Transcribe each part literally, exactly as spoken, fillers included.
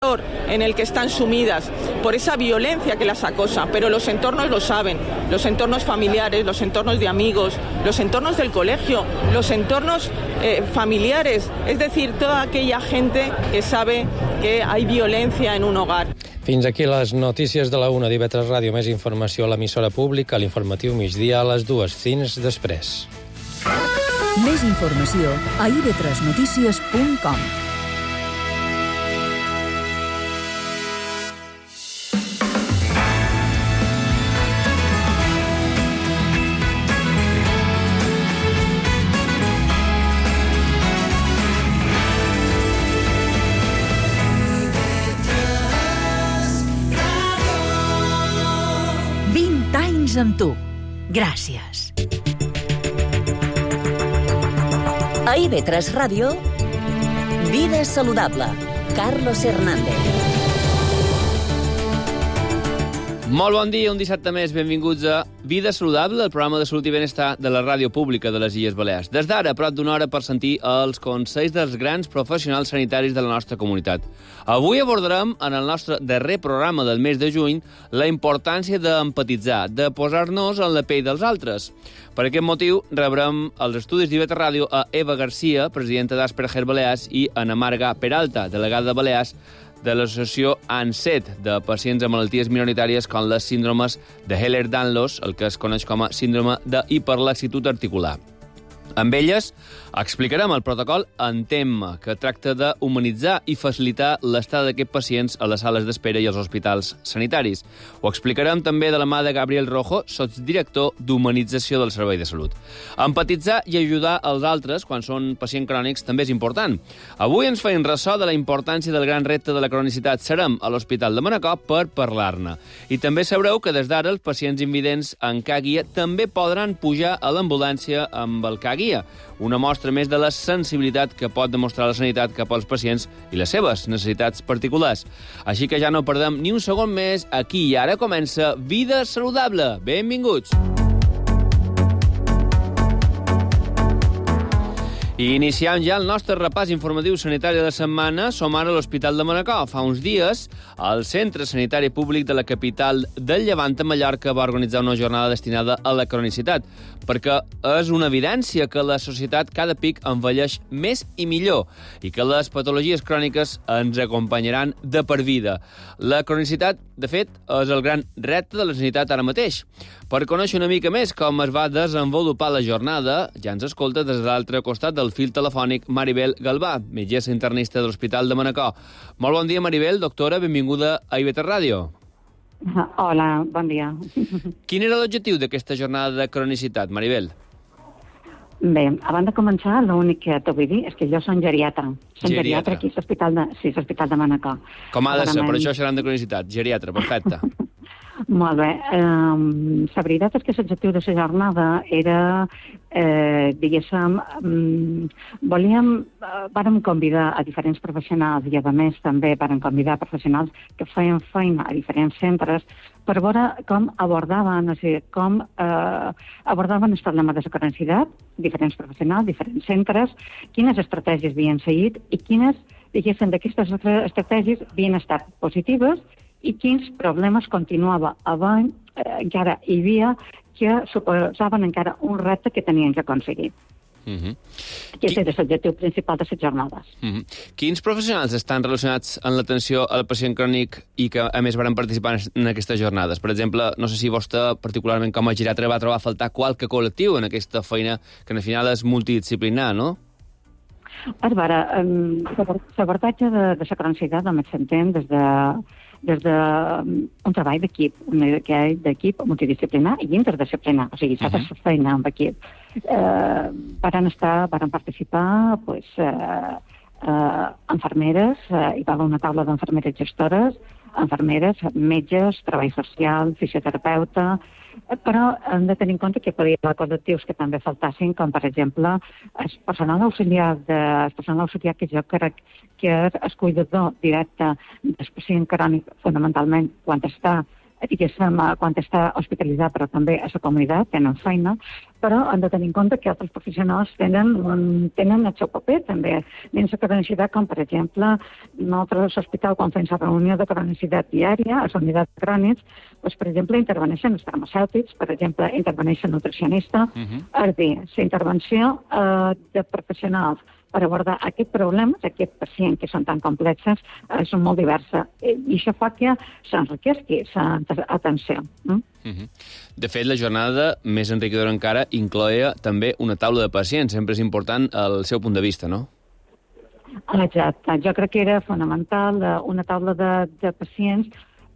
en el que están sumidas por esa violencia que las acosa, pero los entornos lo saben, los entornos familiares, los entornos de amigos, los entornos del colegio, los entornos eh, familiares, es decir, toda aquella gente que sabe que hay violencia en un hogar. Fins aquí les notícies de la una d'I V tres Ràdio. Més informació a l'emissora pública, a l'informatiu migdia a les dues. Fins després. Més informació a i ve tres notícies punt com. Amb tu. Gràcies. A I ve tres Ràdio, Vida Saludable. Carlos Hernández. Molt bon dia, un dissabte més. Benvinguts a Vida Saludable, el programa de salut i benestar de la ràdio pública de les Illes Balears. Des d'ara, prop d'una hora per sentir els consells dels grans professionals sanitaris de la nostra comunitat. Avui abordarem, en el nostre darrer programa del mes de juny, la importància d'empatitzar, de posar-nos en la pell dels altres. Per aquest motiu, rebrem als estudis d'I V tres Ràdio a Eva Garcia, presidenta d'Asperger Balears, i Ana Marga Peralta, delegada de Balears, de l'associació ANSET, de pacients amb malalties minoritàries com les síndromes de Ehlers-Danlos, el que es coneix com a síndrome d'hiperlaxitud articular. Amb elles explicarem el protocol ENTEM, que tracta d'humanitzar i facilitar l'estada d'aquests pacients a les sales d'espera i als hospitals sanitaris. Ho explicarem també de la mà de Gabriel Rojo, sotsdirector d'Humanització del Servei de Salut. Empatitzar i ajudar els altres quan són pacients crònics també és important. Avui ens feim ressò de la importància del gran repte de la cronicitat. Serem a l'Hospital de Manacor per parlar-ne. I també sabreu que des d'ara els pacients invidents en K guia també podran pujar a l'ambulància amb el K guia, una mostra més de la sensibilitat que pot demostrar la sanitat cap als pacients i les seves necessitats particulars. Així que ja no perdem ni un segon més. Aquí i ara comença Vida Saludable. Benvinguts! I iniciant ja el nostre repàs informatiu sanitari de la setmana, som ara a l'Hospital de Manacor. Fa uns dies, el Centre Sanitari Públic de la capital del Llevant a Mallorca va organitzar una jornada destinada a la cronicitat, perquè és una evidència que la societat cada pic envelleix més i millor i que les patologies cròniques ens acompanyaran de per vida. La cronicitat, de fet, és el gran repte de la sanitat ara mateix. Per conèixer una mica més com es va desenvolupar la jornada, ja ens escolta des de l'altre costat del fil telefònic Maribel Galvà, metgessa internista de l'Hospital de Manacor. Molt bon dia, Maribel. Doctora, benvinguda a I V tres Ràdio. Hola, bon dia. Quin era l'objectiu d'aquesta jornada de cronicitat, Maribel? Bé, abans de començar, l'únic que t'ho vull dir és que jo soc geriatra. Soc Geriatra. geriatra aquí a l'Hospital de, sí, a l'Hospital de Manacor. Com ha de ser, per això seran de cronicitat. Geriatra, perfecte. Molt bé. Um, la veritat és que l'objectiu de la jornada era, eh, diguéssim, um, volíem, uh, vàrem convidar a diferents professionals i, a més, també vàrem convidar professionals que feien feina a diferents centres per veure com abordaven, o sigui, com eh, abordaven els problemes de la cronicitat, diferents professionals, diferents centres, quines estratègies havien seguit i quines, diguéssim, d'aquestes estratègies havien estat positives i quins problemes continuava havent, eh, encara hi havia, que suposaven encara un repte que tenien que aconseguir. Uh-huh. Aquest Qui... és l'objectiu principal de les jornades. Uh-huh. Quins professionals estan relacionats en l'atenció al pacient crònic i que, a més, van participar en aquestes jornades? Per exemple, no sé si vostè, particularment com a geriatra, va trobar a faltar qualque col·lectiu en aquesta feina que, al final, és multidisciplinar, no? A veure, l'abordatge de, de la cronicitat només s'entén des de des d'un treball d'equip, un d'equip multidisciplinar i interdisciplinar, o sigui, s'ha de fer feina amb equip. Eh, varen estar, varen participar, pues, eh, eh, infermeres, eh, hi va haver una taula d'infermeres gestores, infermeres, metges, treball social, fisioterapeuta, però hem de tenir en compte que podria haver col·lectius que també faltassin, com per exemple el personal auxiliar, de, el personal auxiliar que jo crec que és el cuidador directe del pacient crònic, fonamentalment quan està diguéssim, quan està hospitalitzat, però també a la comunitat, tenen feina, però han de tenir en compte que altres professionals tenen, tenen el seu paper també dins la cronicitat, com per exemple, nosaltres a l'hospital, quan fem la reunió de cronicitat diària, a la unitat de crònics, doncs, per exemple, interveneixen els farmacèutics, per exemple, interveneix el nutricionista, uh-huh. És a dir, la intervenció eh, de professionals per abordar aquest problema, aquest pacient que són tan complexes, eh, són molt diverses. I això fa que s'enriquesqui l'atenció. Mm? Uh-huh. De fet, la jornada, més enriquidora encara, incloïa també una taula de pacients. Sempre és important el seu punt de vista, no? Exacte. Jo crec que era fonamental una taula de, de pacients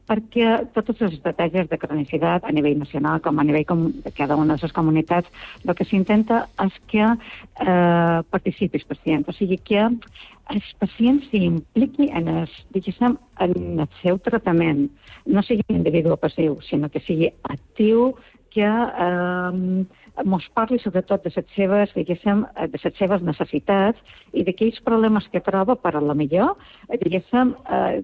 perquè totes les estratègies de cronicitat a nivell nacional com a nivell com de cada una de les comunitats, el que s'intenta és que eh, participi el pacient, o sigui que el pacient s'impliqui en el, diguéssim, en el seu tractament, no sigui individu passiu, sinó que sigui actiu, que eh, mos parli sobretot de les seves, diguéssim, de les seves necessitats i d'aquells problemes que troba per a la millor, diguéssim, eh,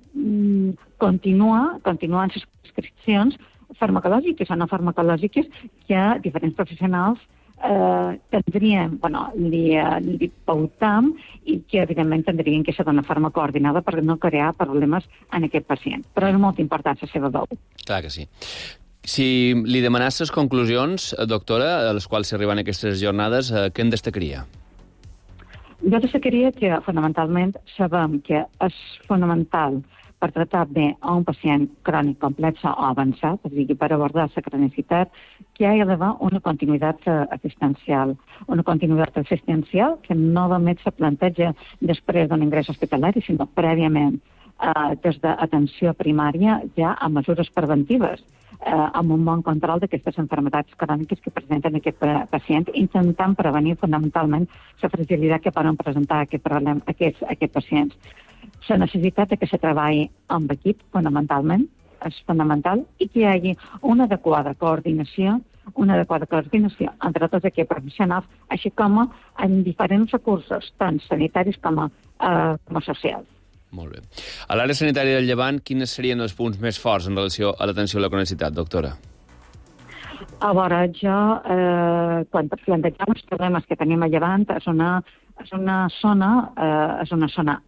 continuar, continuar en les prescripcions farmacològiques o no farmacològiques que diferents professionals eh, tindrien, bueno, li, li pautam i que evidentment tindrien que ser d'una forma coordinada per no crear problemes en aquest pacient. Però és molt important la seva veu. Clar que sí. Si li demanàs les conclusions, doctora, a les quals s'arriben aquestes jornades, eh, què en destacaria? Jo destacaria que, fonamentalment, sabem que és fonamental per tractar bé a un pacient crònic complex o avançat, és a dir, per abordar la cronicitat, que hi ha d'haver una continuïtat assistencial. Una continuïtat assistencial que no només se planteja després d'un ingrés hospitalari, sinó prèviament, eh, des d'atenció primària, ja a mesures preventives, eh, amb un bon control d'aquestes malalties cròniques que presenten aquest pacient, intentant prevenir fonamentalment la fragilitat que poden presentar aquest problema, aquests, aquests pacients. La necessitat que se treballi amb equip, fonamentalment, és fonamental, i que hi hagi una adequada coordinació, una adequada coordinació entre tots aquests professionals, així com en diferents recursos, tant sanitaris com a, eh, com a socials. Molt bé. A l'àrea sanitària del Llevant, quins serien els punts més forts en relació a l'atenció a la cronicitat, doctora? A veure, jo, eh, quan plantegem els problemes que tenim a Llevant, és una, és una zona, eh, és una zona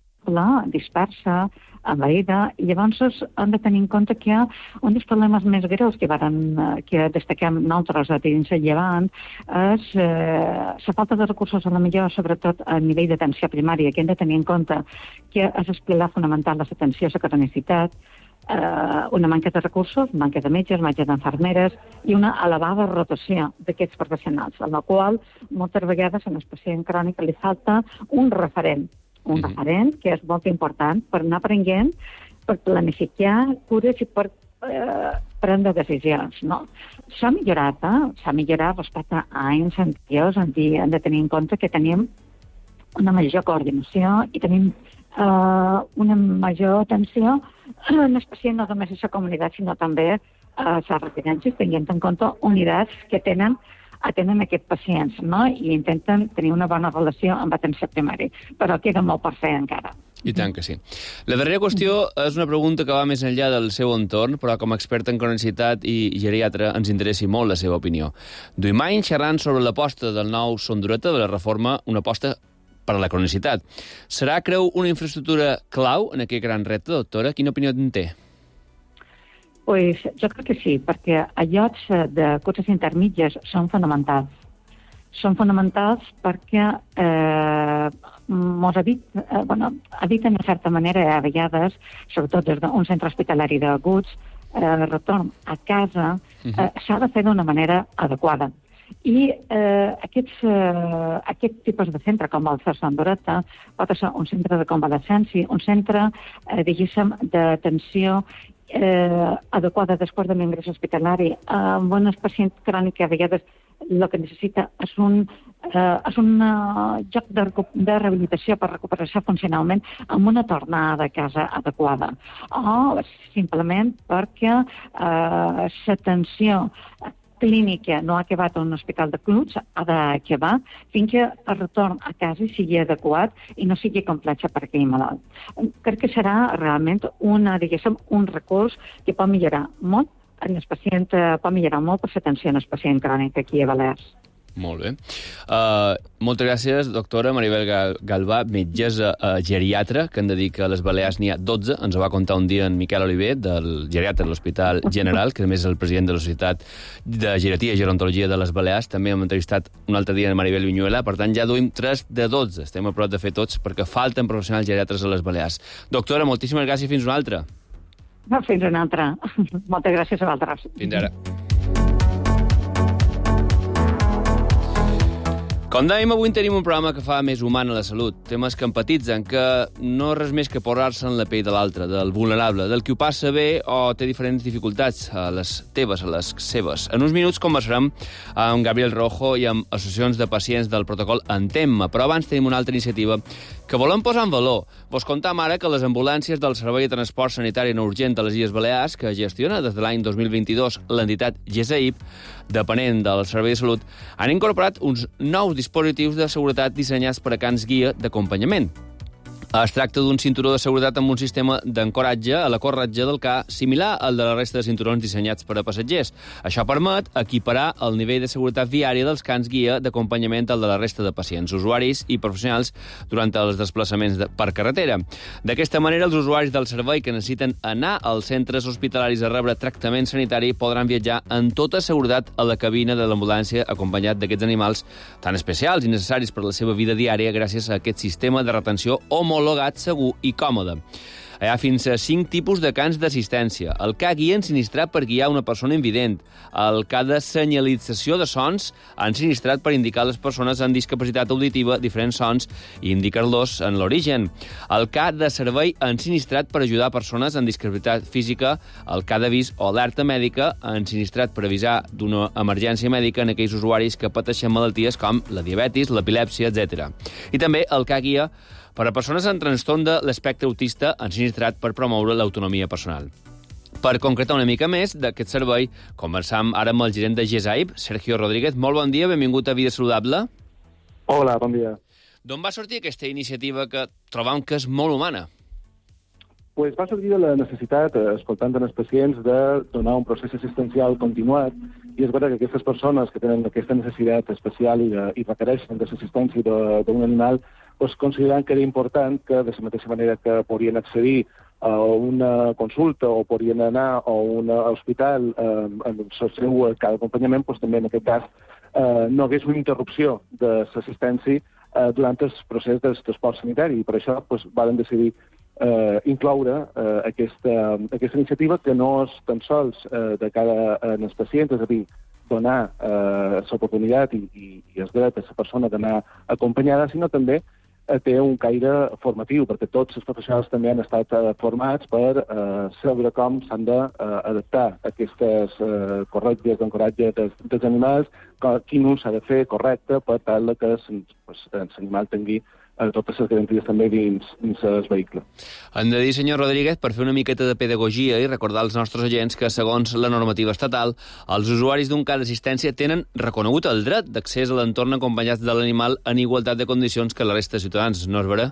dispersa, envaïda, i llavors hem de tenir en compte que un dels problemes més greus que, varen, que destaquem nosaltres a dins el Llevant és eh, la falta de recursos, a la millor, sobretot a nivell d'atenció primària, que hem de tenir en compte que és el pilar fonamental de l'atenció a la cronicitat, eh, una manca de recursos, manca de metges, manca d'infermeres i una elevada rotació d'aquests professionals, en la qual moltes vegades en el pacient crònic li falta un referent, un uh-huh. referent que és molt important per anar aprenent, per planificar cures i per eh, prendre decisions. No? S'ha millorat, eh? S'ha millorat respecte a anys anteriors, hem de, hem de tenir en compte que tenim una major coordinació i tenim eh, una major atenció en el pacient, no només a la comunitat, sinó també a les residències, tenint en compte unitats que tenen atenen aquests pacients, no? I intenten tenir una bona relació amb l'atenció primària. Però queda molt per fer encara. I tant que sí. La darrera qüestió és una pregunta que va més enllà del seu entorn, però com a experta en cronicitat i geriatra ens interessi molt la seva opinió. Duim anys xerrant sobre l'aposta del nou Sondureta, de la reforma, una aposta per a la cronicitat. Serà, creu, una infraestructura clau en aquest gran repte, doctora? Quina opinió en té? Pues jo crec que sí, perquè a llocs de cures intermitges són fonamentals. Són fonamentals perquè eh, mos evit, eh, bueno, eviten de certa manera a vegades, sobretot des d'un centre hospitalari d'aguts, eh, retorn a casa, eh, s'ha de fer d'una manera adequada. I eh, aquests, eh, aquest tipus de centre, com el Sondureta, pot ser un centre de convalescència, un centre, eh, diguéssim, d'atenció eh, adequada després de l'ingrés hospitalari. Amb un pacient crònic que a vegades el que necessita és un, eh, és un uh, joc de, de rehabilitació per recuperar-se funcionalment amb una tornada a casa adequada. O simplement perquè eh, l'atenció clínica no ha acabat a un hospital de clubs, ha d'acabar fins que el retorn a casa sigui adequat i no sigui complex per aquell malalt. Crec que serà realment una, diguéssim, un recurs que pot millorar molt en el pacient uh, pot millorar molt per l'atenció en el pacient crònic aquí a Balears. Molt bé. Uh, moltes gràcies, doctora Maribel Galvà, metgessa uh, geriatra, que hem de dir que a les Balears n'hi ha dotze. Ens ho va contar un dia en Miquel Oliver, del geriatre de l'Hospital General, que a més és el president de la Societat de Geriatria i Gerontologia de les Balears. També hem entrevistat un altre dia a Maribel Viñuela. Per tant, ja duim tres de dotze. Estem a prop de fer tots, perquè falten professionals geriatres a les Balears. Doctora, moltíssimes gràcies. Fins una altra. No, fins una altra. Moltes gràcies a vosaltres. Fins ara. Com dèiem, avui tenim un programa que fa més humana la salut. Temes que empatitzen, que no és res més que posar-se en la pell de l'altre, del vulnerable, del qui ho passa bé o té diferents dificultats, a les teves, a les seves. En uns minuts conversarem amb Gabriel Rojo i amb associacions de pacients del protocol Entemma, però abans tenim una altra iniciativa que volem posar en valor. Vos contam ara que les ambulàncies del Servei de Transport Sanitari No Urgent de les Illes Balears, que gestiona des de l'any dos mil vint-i-dos l'entitat G S I P, depenent del Servei de Salut, han incorporat uns nous dispositius de seguretat dissenyats per a cans guia d'acompanyament. Es tracta d'un cinturó de seguretat amb un sistema d'ancoratge a la corretja del ca similar al de la resta de cinturons dissenyats per a passatgers. Això permet equiparar el nivell de seguretat viària dels cans guia d'acompanyament al de la resta de pacients, usuaris i professionals durant els desplaçaments de, per carretera. D'aquesta manera, els usuaris del servei que necessiten anar als centres hospitalaris a rebre tractament sanitari podran viatjar en tota seguretat a la cabina de l'ambulància acompanyat d'aquests animals tan especials i necessaris per a la seva vida diària gràcies a aquest sistema de retenció homològic homologat, segur i còmode. Hi ha fins a cinc tipus de cans d'assistència. El ca guia ensinistrat per guiar una persona invident. El ca de senyalització de sons ensinistrat per indicar a les persones amb discapacitat auditiva diferents sons i indicar-los en l'origen. El ca de servei ensinistrat per ajudar persones amb discapacitat física. El ca d'avís o alerta mèdica ensinistrat per avisar d'una emergència mèdica en aquells usuaris que pateixen malalties com la diabetis, l'epilèpsia, etcètera. I també el ca guia per a persones amb trastorn de l'espectre autista ensinistrat per promoure l'autonomia personal. Per concretar una mica més d'aquest servei, conversam ara amb el gerent de G S I P, Sergio Rodríguez. Molt bon dia, benvingut a Vida Saludable. Hola, bon dia. D'on va sortir aquesta iniciativa que trobam que és molt humana? Pues va sortir de la necessitat, escoltant els pacients, de donar un procés assistencial continuat, i és veritat que aquestes persones que tenen aquesta necessitat especial i, de, i requereixen de l'assistència d'un animal, pues, considerant que era important que, de la mateixa manera que podien accedir a una consulta o podien anar a un hospital eh, en el seu cada acompanyament, pues, també en aquest cas eh, no hagués una interrupció de l'assistència eh, durant el procés del transport sanitari. I per això pues, varen decidir eh, incloure eh, aquesta, aquesta iniciativa, que no és tan sols eh, de cara als pacients, és a dir, donar eh, l'oportunitat i, i, i el dret a la persona d'anar acompanyada, sinó també eh, té un caire formatiu, perquè tots els professionals també han estat eh, formats per eh, saber com s'han d'adaptar eh, aquestes eh, corretges d'ancoratge dels, dels animals, quin ús s'ha de fer correcte per tal que pues, l'animal tingui a totes les garanties també dins, dins el vehicle. Hem de dir, senyor Rodríguez, per fer una miqueta de pedagogia i recordar als nostres agents que, segons la normativa estatal, els usuaris d'un ca d'assistència tenen reconegut el dret d'accés a l'entorn acompanyats de l'animal en igualtat de condicions que la resta de ciutadans, no és vera?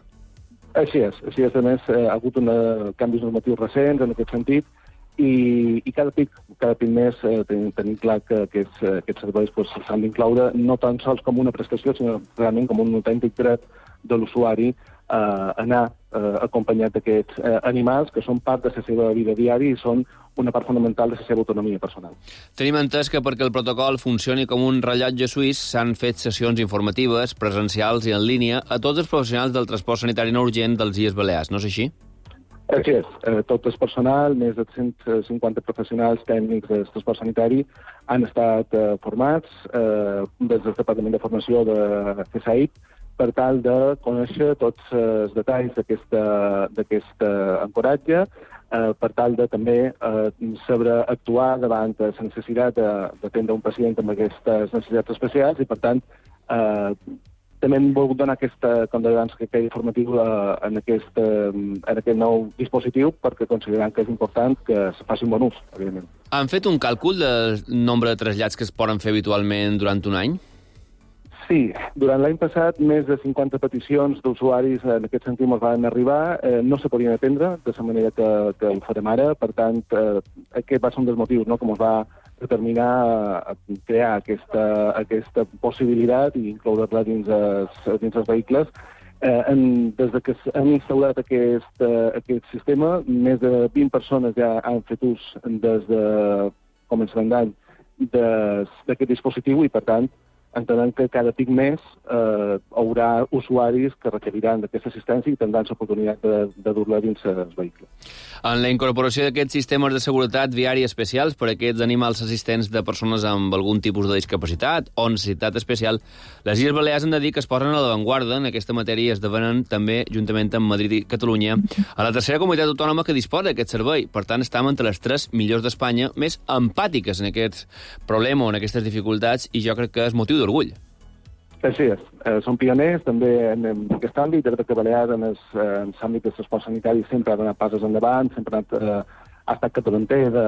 Així és. Així és. A més, eh, ha hagut una, canvis normatius recents en aquest sentit, i, i cada pic, cada pic més eh, tenim, tenim clar que aquests, aquests serveis pues, s'han d'incloure no tan sols com una prestació, sinó realment com un autèntic dret de l'usuari a eh, anar eh, acompanyat d'aquests eh, animals que són part de la seva vida diària i són una part fonamental de la seva autonomia personal. Tenim entès que perquè el protocol funcioni com un rellotge suís s'han fet sessions informatives, presencials i en línia a tots els professionals del transport sanitari no urgent dels Illes Balears, no és així? Així és. Eh, tot el personal, més de cent cinquanta professionals tècnics del transport sanitari han estat eh, formats eh, des del Departament de Formació de G S I P per tal de conèixer tots els detalls d'aquest ancoratge, eh, per tal de també eh, saber actuar davant la necessitat d'atendre un pacient amb aquestes necessitats especials i, per tant, eh, també hem volgut donar aquesta, com deia abans, que quedi formatiu en aquest, en aquest nou dispositiu perquè considerant que és important que es faci un bon ús, evidentment. Han fet un càlcul del nombre de trasllats que es poden fer habitualment durant un any? Sí, durant l'any passat més de cinquanta peticions d'usuaris en aquest sentit ens van arribar, eh, no se podien atendre de la manera que, que ho farem ara, per tant, eh, aquest va ser un dels motius, no?, com es va determinar a crear aquesta, aquesta possibilitat i incloure-la dins, es, dins els vehicles. Eh, en, des de que hem instaurat aquest, eh, aquest sistema, més de vint persones ja han fet ús des de començament d'any d'aquest dispositiu i, per tant, entenem que cada pic més eh, haurà usuaris que requeriran d'aquesta assistència i tindran l'oportunitat de, de dur-la dins els vehicles. En la incorporació d'aquests sistemes de seguretat viària especials per a aquests animals assistents de persones amb algun tipus de discapacitat o necessitat especial, les Illes Balears han de dir que es posen a l'avantguarda en aquesta matèria i esdevenen també, juntament amb Madrid i Catalunya, a la tercera comunitat autònoma que disposa d'aquest servei. Per tant, estem entre les tres millors d'Espanya més empàtiques en aquest problema o en aquestes dificultats i jo crec que és motiu d'orgull. Així és. Eh, som pioners també en, en aquest àmbit, de que Balears en l'àmbit de transport sanitari sempre ha donat passes endavant, sempre ha, anat, eh, ha estat capdavanter de,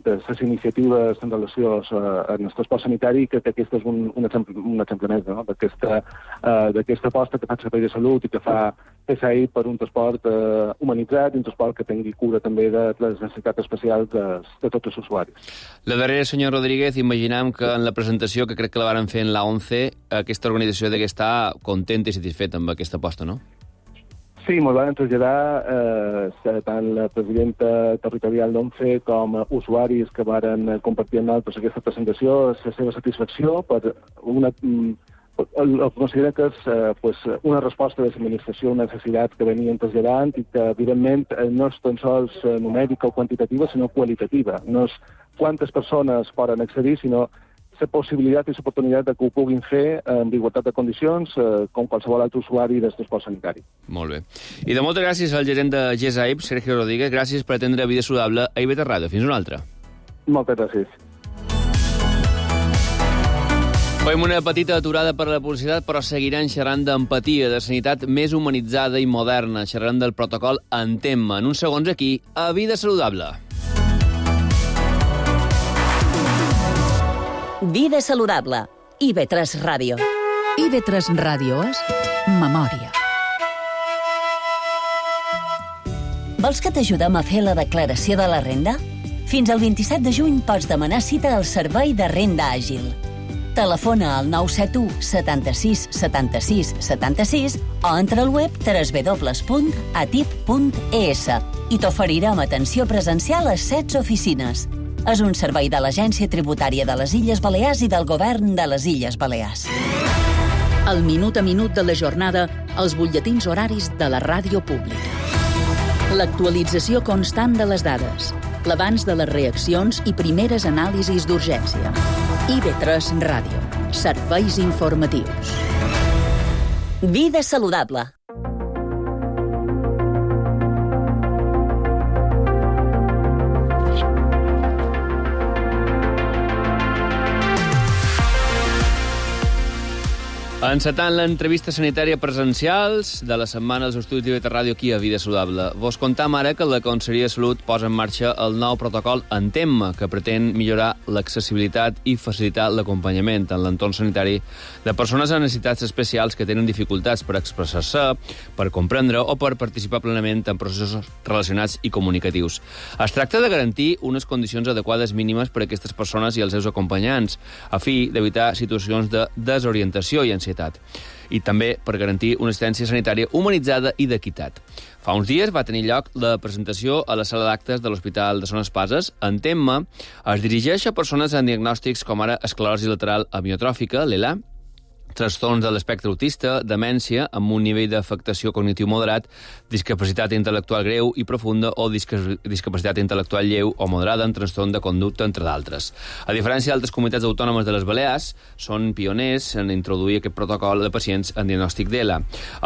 de les iniciatives en relació a, a el transport sanitari i crec que aquest és un, un, exemple, un exemple més, no?, d'aquesta eh, aposta que fa el Servei de Salut i que fa P S A I per un transport eh, humanitzat i un transport que tingui cura també de les necessitats especials de, de tots els usuaris. La darrera, senyor Rodríguez, imaginam que en la presentació, que crec que la varen fer en l'A onze, aquesta organització ha d'estar contenta i satisfeta amb aquesta aposta, no? Sí, molt van traslladar eh, tant la presidenta territorial d'ONCE com usuaris que varen compartir amb nosaltres aquesta presentació, la seva satisfacció per una... El, el considera que és eh, pues, una resposta de l'administració, una necessitat que venien traslladant i que, evidentment, no és tan sols numèrica o quantitativa, sinó qualitativa. No és quantes persones poden accedir, sinó la possibilitat i l'oportunitat de que ho puguin fer en igualtat de condicions eh, com qualsevol altre usuari del transport sanitari. Molt bé. I de moltes gràcies al gerent de G S A I P, Sergio Rodríguez. Gràcies per atendre Vida Saludable a I V tres Ràdio. Fins una altra. Moltes gràcies. Fem una petita aturada per la publicitat, però seguirem xerrant d'empatia, de sanitat més humanitzada i moderna. Xerrant del protocol Entén-me. En uns segons aquí, a Vida Saludable. Vida Saludable. I V tres Ràdio. I V tres Ràdio és memòria. Vols que t'ajudem a fer la declaració de la renda? Fins al vint-i-set de juny pots demanar cita al Servei de Renda Àgil. Telefona al nou set u setanta-sis setanta-sis setanta-sis o entra al web w w w punt atip punt e s i t'oferirem atenció presencial a setze oficines. És un servei de l'Agència Tributària de les Illes Balears i del Govern de les Illes Balears. El minut a minut de la jornada, els butlletins horaris de la ràdio pública. L'actualització constant de les dades, l'avanç de les reaccions i primeres anàlisis d'urgència. I V tres Ràdio. Serveis informatius. Vida Saludable. Encetant l'entrevista sanitària presencials de la setmana als estudis d'I V tres Ràdio aquí a Vida Saludable. Vos contam ara que la Conselleria de Salut posa en marxa el nou protocol Entén-me, que pretén millorar l'accessibilitat i facilitar l'acompanyament en l'entorn sanitari de persones amb necessitats especials que tenen dificultats per expressar-se, per comprendre o per participar plenament en processos relacionats i comunicatius. Es tracta de garantir unes condicions adequades mínimes per a aquestes persones i els seus acompanyants, a fi d'evitar situacions de desorientació i ansietat, i també per garantir una assistència sanitària humanitzada i d'equitat. Fa uns dies va tenir lloc la presentació a la sala d'actes de l'Hospital de Son Espases. Entén-me es dirigeix a persones amb diagnòstics com ara esclerosi lateral amiotròfica, l'E L A, trastorns de l'espectre autista, demència amb un nivell d'afectació cognitiu moderat, discapacitat intel·lectual greu i profunda o disca discapacitat intel·lectual lleu o moderada en trastorn de conducta, entre d'altres. A diferència d'altres comunitats autònomes de les Balears, són pioners en introduir aquest protocol de pacients en diagnòstic d'E L A.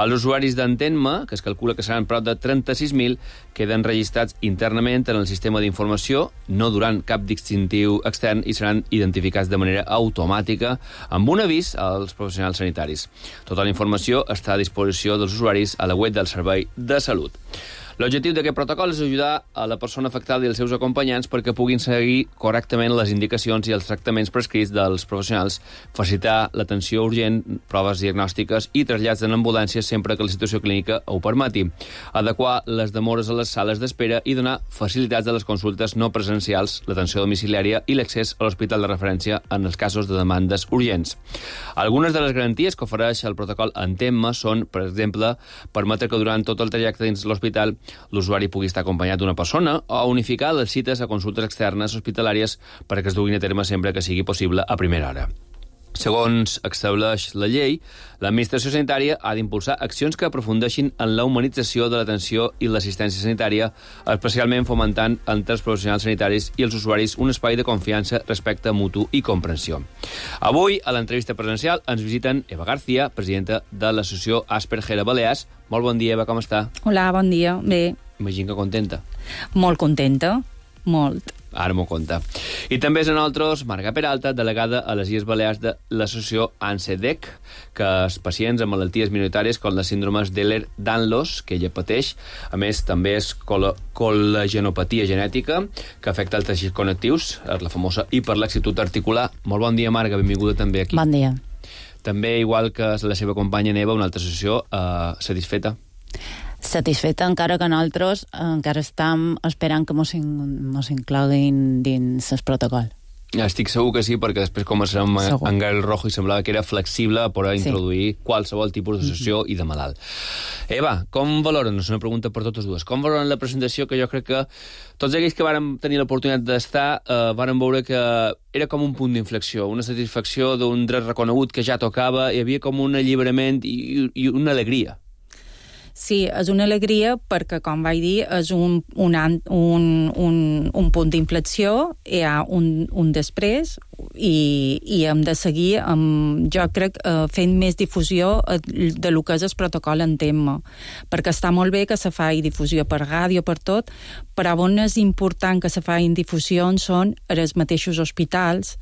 Els usuaris d'Entén-me, que es calcula que seran prop de trenta-sis mil, queden registrats internament en el sistema d'informació, no durant cap distintiu extern i seran identificats de manera automàtica amb un avís als professionals sanitaris. Tota la informació està a disposició dels usuaris a la web del Servei de Salut. L'objectiu d'aquest protocol és ajudar a la persona afectada i els seus acompanyants perquè puguin seguir correctament les indicacions i els tractaments prescrits dels professionals, facilitar l'atenció urgent, proves diagnòstiques i trasllats en ambulàncies sempre que la situació clínica ho permeti, adequar les demores a les sales d'espera i donar facilitats a les consultes no presencials, l'atenció domiciliària i l'accés a l'hospital de referència en els casos de demandes urgents. Algunes de les garanties que ofereix el protocol Entén-me són, per exemple, permetre que durant tot el trajecte dins l'hospital l'usuari pugui estar acompanyat d'una persona o unificar les cites a consultes externes hospitalàries perquè es duguin a terme sempre que sigui possible a primera hora. Segons estableix la llei, l'administració sanitària ha d'impulsar accions que aprofundeixin en la humanització de l'atenció i l'assistència sanitària, especialment fomentant entre els professionals sanitaris i els usuaris un espai de confiança, respecte mutu i comprensió. Avui, a l'entrevista presencial, ens visiten Eva García, presidenta de l'associació Asperger a Balears. Molt bon dia, Eva, com està? Hola, bon dia. Bé. Imagino que contenta. Molt contenta, molt. Ara m'ho conta. I també és en nosaltres Marga Peralta, delegada a les Illes Balears de l'associació ANSEDEC, que els pacients amb malalties minoritàries com les síndromes d'Ehlers-Danlos, que ella pateix, a més també és col col·lagenopatia genètica, que afecta els teixits connectius, la famosa hiperlaxitud articular. Molt bon dia, Marga, benvinguda també aquí. Bon dia. També, igual que la seva companya Neva, una altra associació eh, satisfeta. Satisfeta, encara que nosaltres encara estem esperant que mos, in, mos incloguin dins el protocol. Estic segur que sí, perquè després començarem en Gael Rojo i semblava que era flexible per a introduir sí. qualsevol tipus d'associació mm-hmm. i de malalt. Eva, com valoren, és una pregunta per totes dues, com valoren la presentació, que jo crec que tots aquells que vàrem tenir l'oportunitat d'estar eh, vàrem veure que era com un punt d'inflexió, una satisfacció d'un dret reconegut que ja tocava, hi havia com un alliberament i, i una alegria. Sí, és una alegria perquè, com vaig dir, és un, un, un, un, un punt d'inflexió, hi ha un, un després i, i hem de seguir, amb, jo crec, eh, fent més difusió de lo que és el protocol Entén-me, perquè està molt bé que se faci difusió per ràdio, per tot, però on és important que se facin difusions són els mateixos hospitals,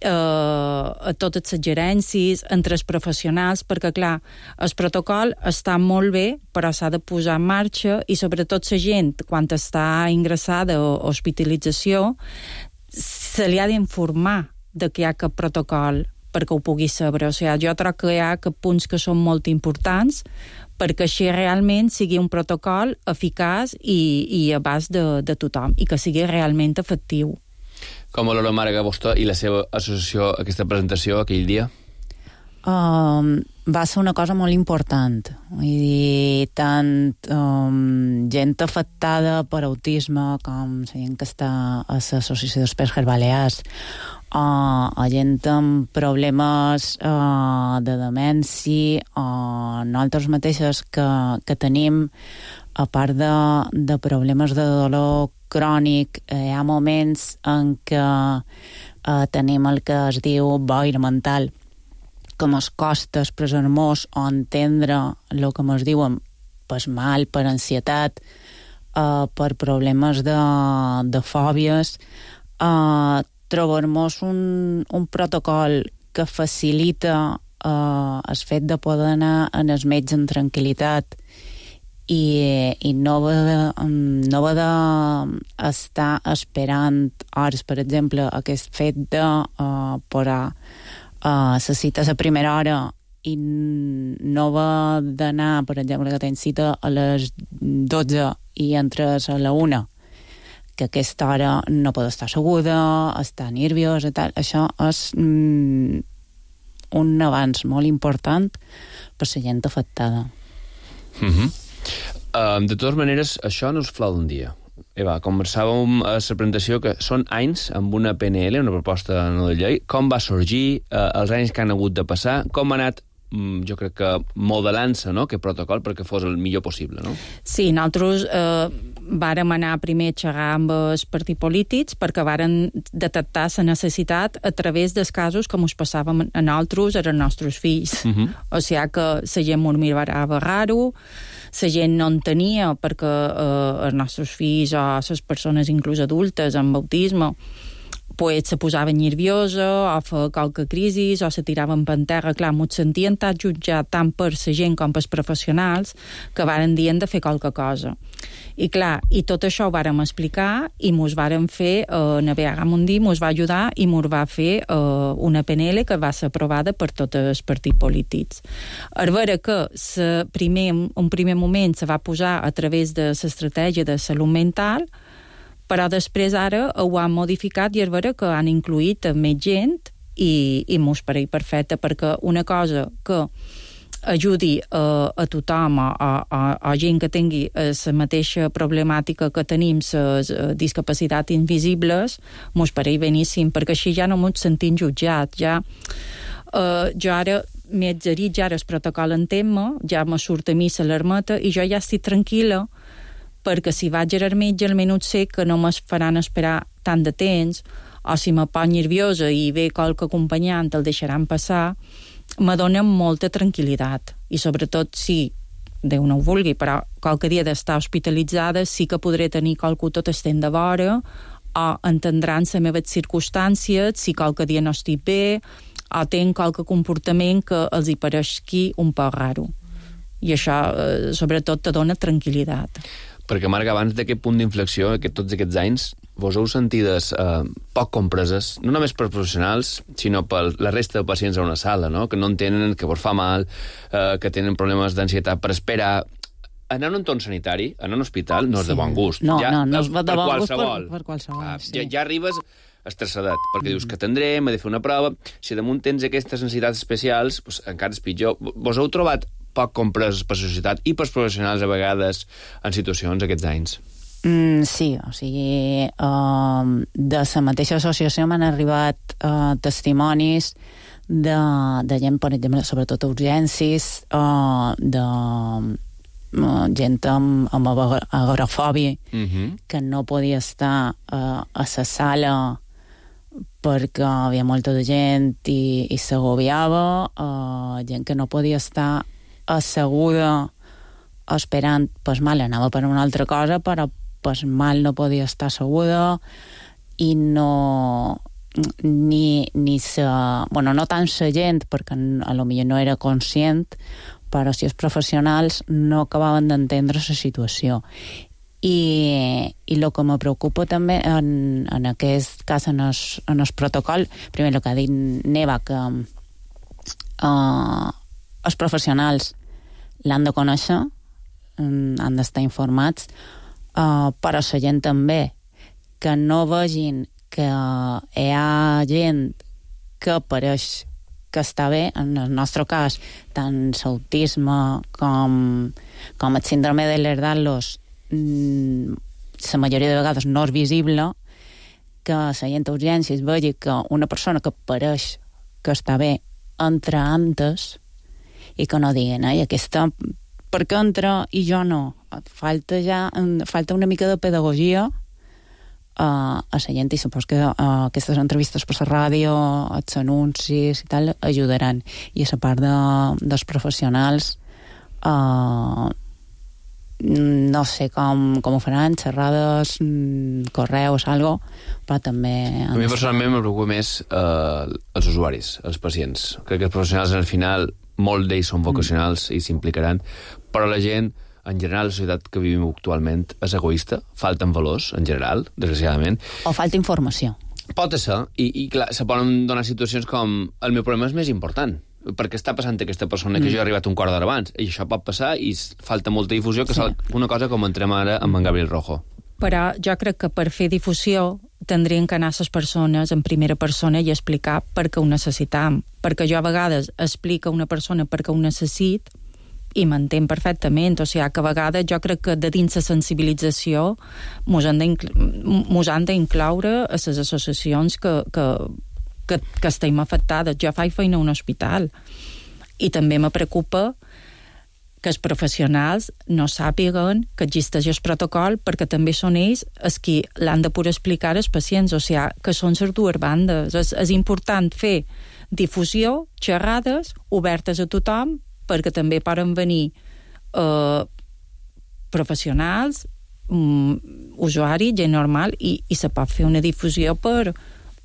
Uh, a totes les gerències, entre els professionals, perquè, clar, el protocol està molt bé, però s'ha de posar en marxa i, sobretot, la gent, quan està ingressada o hospitalització, se li ha d'informar de que hi ha aquest protocol perquè ho pugui saber. O sigui, jo trobo que hi ha punts que són molt importants perquè així realment sigui un protocol eficaç i, i a abast de, de tothom i que sigui realment efectiu. Com valora Marga vostè i la seva associació aquesta presentació aquell dia? Um, va ser una cosa molt important. Vull dir, tant um, gent afectada per autisme com la gent que està a l'associació d'Asperger Balears, uh, a gent amb problemes uh, de demència, o uh, nosaltres mateixes que, que tenim, a part de, de problemes de dolor crònic, eh, hi ha moments en què eh, tenim el que es diu boira mental, que mos costa expressar-nos o entendre el que mos diuen per mal, per ansietat, eh, per problemes de, de fòbies, eh, trobar-nos un, un protocol que facilita eh, el fet de poder anar en el metge en tranquil·litat i, i no va de, no va de estar esperant hores, per exemple, aquest fet de uh, posar uh, la cita a la primera hora i no va d'anar, per exemple, que tens cita a les dotze i entres a la una, que aquesta hora no pot estar asseguda, està nerviosa i tal. Això és mm, un avanç molt important per la gent afectada. Mhm. Uh, de totes maneres, això no és flau d'un dia. Eva, conversàvem a la presentació que són anys amb una P N L, una proposta no de llei. Com va sorgir, uh, els anys que han hagut de passar, com ha anat, um, jo crec que modelant-se, no?, aquest protocol perquè fos el millor possible, no? Sí, nosaltres eh, vàrem anar primer a xerrar amb els partits polítics perquè vàrem detectar la necessitat a través dels casos que ens passàvem a nosaltres, als nostres fills. Uh-huh. O sigui que la gent m'ho mirava raro, la gent no en tenia perquè eh, els nostres fills o les persones inclús adultes amb autisme pues se posava nerviosa o feia qualque crisi o se tiraven per terra. Clar, m'ho sentien tan jutjat tant per la gent com pels professionals que varen dir de fer qualque cosa. I clar, i tot això ho vàrem explicar i mos vàrem fer, eh, Navegar Mundi mos va ajudar i mos va fer eh, una P N L que va ser aprovada per tots els partits polítics. A veure que se primer, un primer moment se va posar a través de l'estratègia de salut mental, però després ara ho han modificat i és vera que han incluït més gent i, i mos pareix perfecte, perquè una cosa que ajudi a, a tothom o a, a, a gent que tingui la mateixa problemàtica que tenim, les discapacitats invisibles, mos pareix beníssim, perquè així ja no mos sentim jutjats. Ja, uh, jo ara m'he exerit, ja ara el protocol entén-me, ja me surt a mi l'alarmeta i jo ja estic tranquil·la, perquè si vaig al metge almenys sé que no me'n faran esperar tant de temps, o si me poso nerviosa i ve qualque acompanyant el deixaran passar, me dona molta tranquil·litat. I sobretot si, Déu no ho vulgui, però qualque dia d'estar hospitalitzada sí que podré tenir qualcú tot estent de vora o entendran les meves circumstàncies si qualque dia no estic bé o tenc qualque comportament que els hi pareixi un poc raro. I això, eh, sobretot, te dona tranquil·litat. Perquè, Marga, abans d'aquest punt d'inflexió, aquest, tots aquests anys, vos heu sentides eh, poc compreses, no només per professionals, sinó per la resta de pacients a una sala, no? Que no entenen, que vos fa mal, eh, que tenen problemes d'ansietat per esperar. Anar a un entorn sanitari, anar a un hospital, no és de bon gust. No, ja, no, no és de bon qualsevol. gust per, per qualsevol. Ah, sí. ja, ja arribes estressadet, perquè mm. dius que atendrem, he de fer una prova. Si damunt tens aquestes necessitats especials, doncs encara és pitjor. Vos heu trobat poc comprès per la societat i pels professionals a vegades en situacions aquests anys? Mm, sí, o sigui, uh, de la mateixa associació m'han arribat uh, testimonis de, de gent, per exemple, sobretot urgències, uh, de uh, gent amb, amb agorafòbia, mm-hmm. que no podia estar uh, a la sala perquè hi havia molta de gent i, i s'agobiava, uh, gent que no podia estar asseguda esperant, pues mal, anava per una altra cosa, però pues mal no podia estar asseguda i no ni, ni sa, bueno, no tant sa gent, perquè a lo millor no era conscient, però si els professionals no acabaven d'entendre la situació. I, i el que me preocupa també en, en aquest cas, en el, en el protocol, primer el que ha dit Neva, que uh, els professionals l'han de conèixer, han d'estar informats, uh, però la gent també, que no vegin que hi ha gent que pareix que està bé, en el nostre cas, tant l'autisme com, com el síndrome de l'Ehlers-Danlos, la majoria de vegades no és visible, que la gent d'urgències vegi que una persona que pareix que està bé entra antes i que no diguen, ai, aquesta per què entra i jo no? Falta ja, falta una mica de pedagogia uh, a la gent, i supos que uh, aquestes entrevistes per la ràdio, els anuncis i tal, ajudaran. I a la part de, dels professionals uh, no sé com, com ho faran, xerrades, correus, algo, però també... A mi personalment me preocupa més eh, els usuaris, els pacients. Crec que els professionals, al final, molts d'ells són vocacionals mm. i s'implicaran, però la gent, en general, la societat que vivim actualment és egoista, falten valors, en general, desgraciadament. O falta informació. Pot ser, i, i clar, se poden donar situacions com el meu problema és més important, perquè està passant aquesta persona que mm. jo he arribat un quart d'hora abans, i això pot passar i falta molta difusió, que sí. És una cosa com entrem ara amb en Gabriel Rojo. Però jo crec que per fer difusió tindrien que anar a les persones en primera persona i explicar per què ho necessitam, perquè jo a vegades explico a una persona per què ho necessit i m'entén perfectament, o sigui que a vegades jo crec que de dins la sensibilització mos han d'incloure a les associacions que, que, que, que estem afectades. Jo faig feina a un hospital i també me preocupa que els professionals no sàpiguen que existeix el protocol, perquè també són ells els qui l'han de poder explicar als pacients, o sigui que són les dues bandes. És, és important fer difusió, xerrades obertes a tothom, perquè també poden venir eh, professionals, um, usuaris, gent normal, i, i se pot fer una difusió per,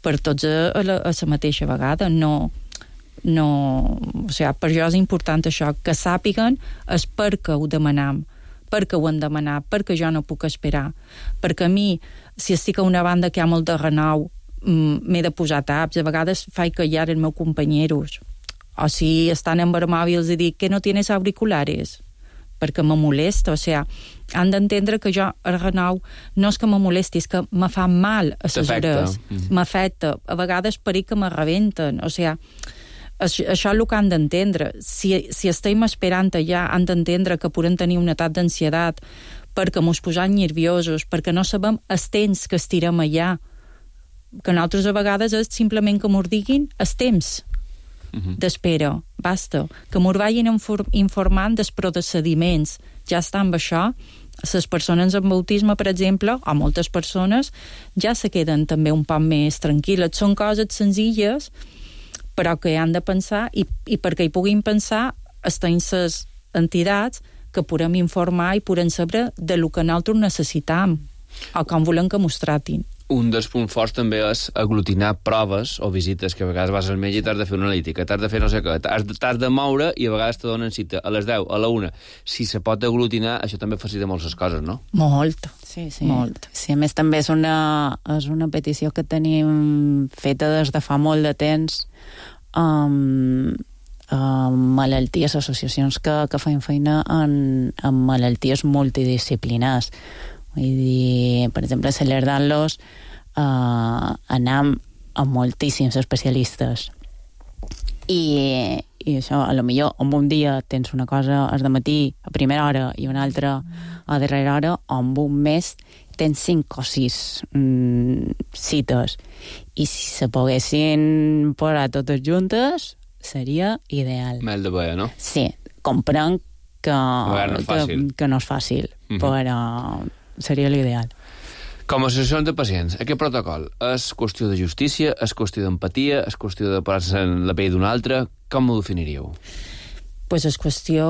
per tots a, a, la, a la mateixa vegada. No, no, o sigui, per jo és important això, que sàpiguen és perquè ho demanam, perquè ho han demanat, perquè jo no puc esperar. Perquè a mi, si estic a una banda que hi ha molt de renou, m'he de posar taps. A vegades faig callar els meus companyeros. O si estan en vermòbil i dic que no tienes auriculares, perquè me molesta. O sigui, han d'entendre que jo, el renou, no és que me molesti, és que me fa mal a les hores. M'afecta. A vegades per que me rebenten. O sigui, això, això és el que han d'entendre. Si, si estem esperant allà, han d'entendre que podem tenir una etat d'ansietat, perquè mos posam nerviosos, perquè no sabem el temps que estirem allà, que nosaltres a vegades és simplement que mos diguin el temps uh-huh. d'espera, basta. Que mos vagin informant dels procediments. Ja està amb això. Les persones amb autisme, per exemple, o moltes persones, ja se queden també un poc més tranquil·les. Són coses senzilles, però que han de pensar, i, i perquè hi puguin pensar, estan les entitats que podem informar i podem saber de lo que nosaltres necessitam o com volem que mos tratin. Un dels punts forts també és aglutinar proves o visites, que a vegades vas al metge i t'has de fer una analítica, t'has de fer no sé què, t'has de, t'has de moure i a vegades te donen cita a les deu, a la una. Si se pot aglutinar, això també facilita moltes coses, no? Molt. Sí, sí. Molt. Sí, a més també és una, és una petició que tenim feta des de fa molt de temps amb, amb malalties, associacions que, que fan feina en, en malalties multidisciplinars. Vull dir, per exemple, celebrant-los eh, anam a moltíssims especialistes. I, i això, a lo millor, en un dia tens una cosa al matí a primera hora i una altra a darrera hora, o en un mes tens cinc o sis mm, cites. I si se poguessin posar totes juntes, seria ideal. Mel de veia, no? Sí, comprenc que, no que, que no és fàcil, uh-huh. però seria l'ideal. Com a associacions de pacients, aquest protocol és qüestió de justícia, és qüestió d'empatia, és qüestió de posar-se en la pell d'un altre? Com ho definiríeu? Pues és qüestió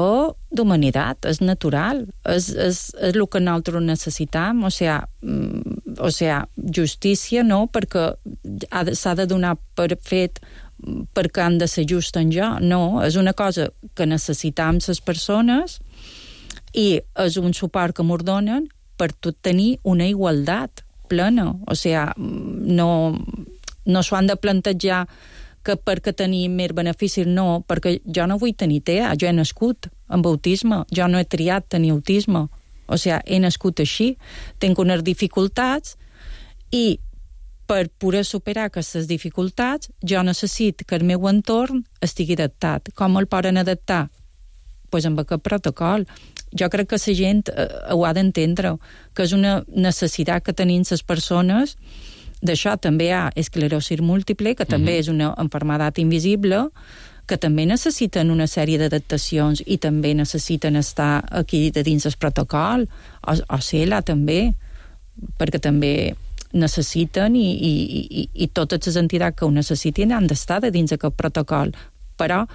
d'humanitat, és natural, és, és, és el que nosaltres necessitam, o sigui, o sigui, justícia no, perquè ha de, s'ha de donar per fet perquè han de ser just en jo, no, és una cosa que necessitam les persones i és un suport que m'ho donen per tot tenir una igualtat plena, o sigui, no, no s'ho han de plantejar que perquè tenim més beneficis, no, perquè jo no vull tenir T E A, jo he nascut amb autisme, jo no he triat tenir autisme, o sigui, he nascut així, tinc unes dificultats i per poder superar aquestes dificultats jo necessito que el meu entorn estigui adaptat. Com el poden adaptar? Pues amb aquest protocol. Jo crec que la gent eh, ho ha d'entendre, que és una necessitat que tenim les persones. D'això també hi ha esclerosi múltiple, que també uh-huh. és una malaltia invisible, que també necessiten una sèrie d'adaptacions i també necessiten estar aquí de dins el protocol, o, o C E L A també, perquè també necessiten i, i, i, i totes les entitats que ho necessitin han d'estar de dins aquest protocol, però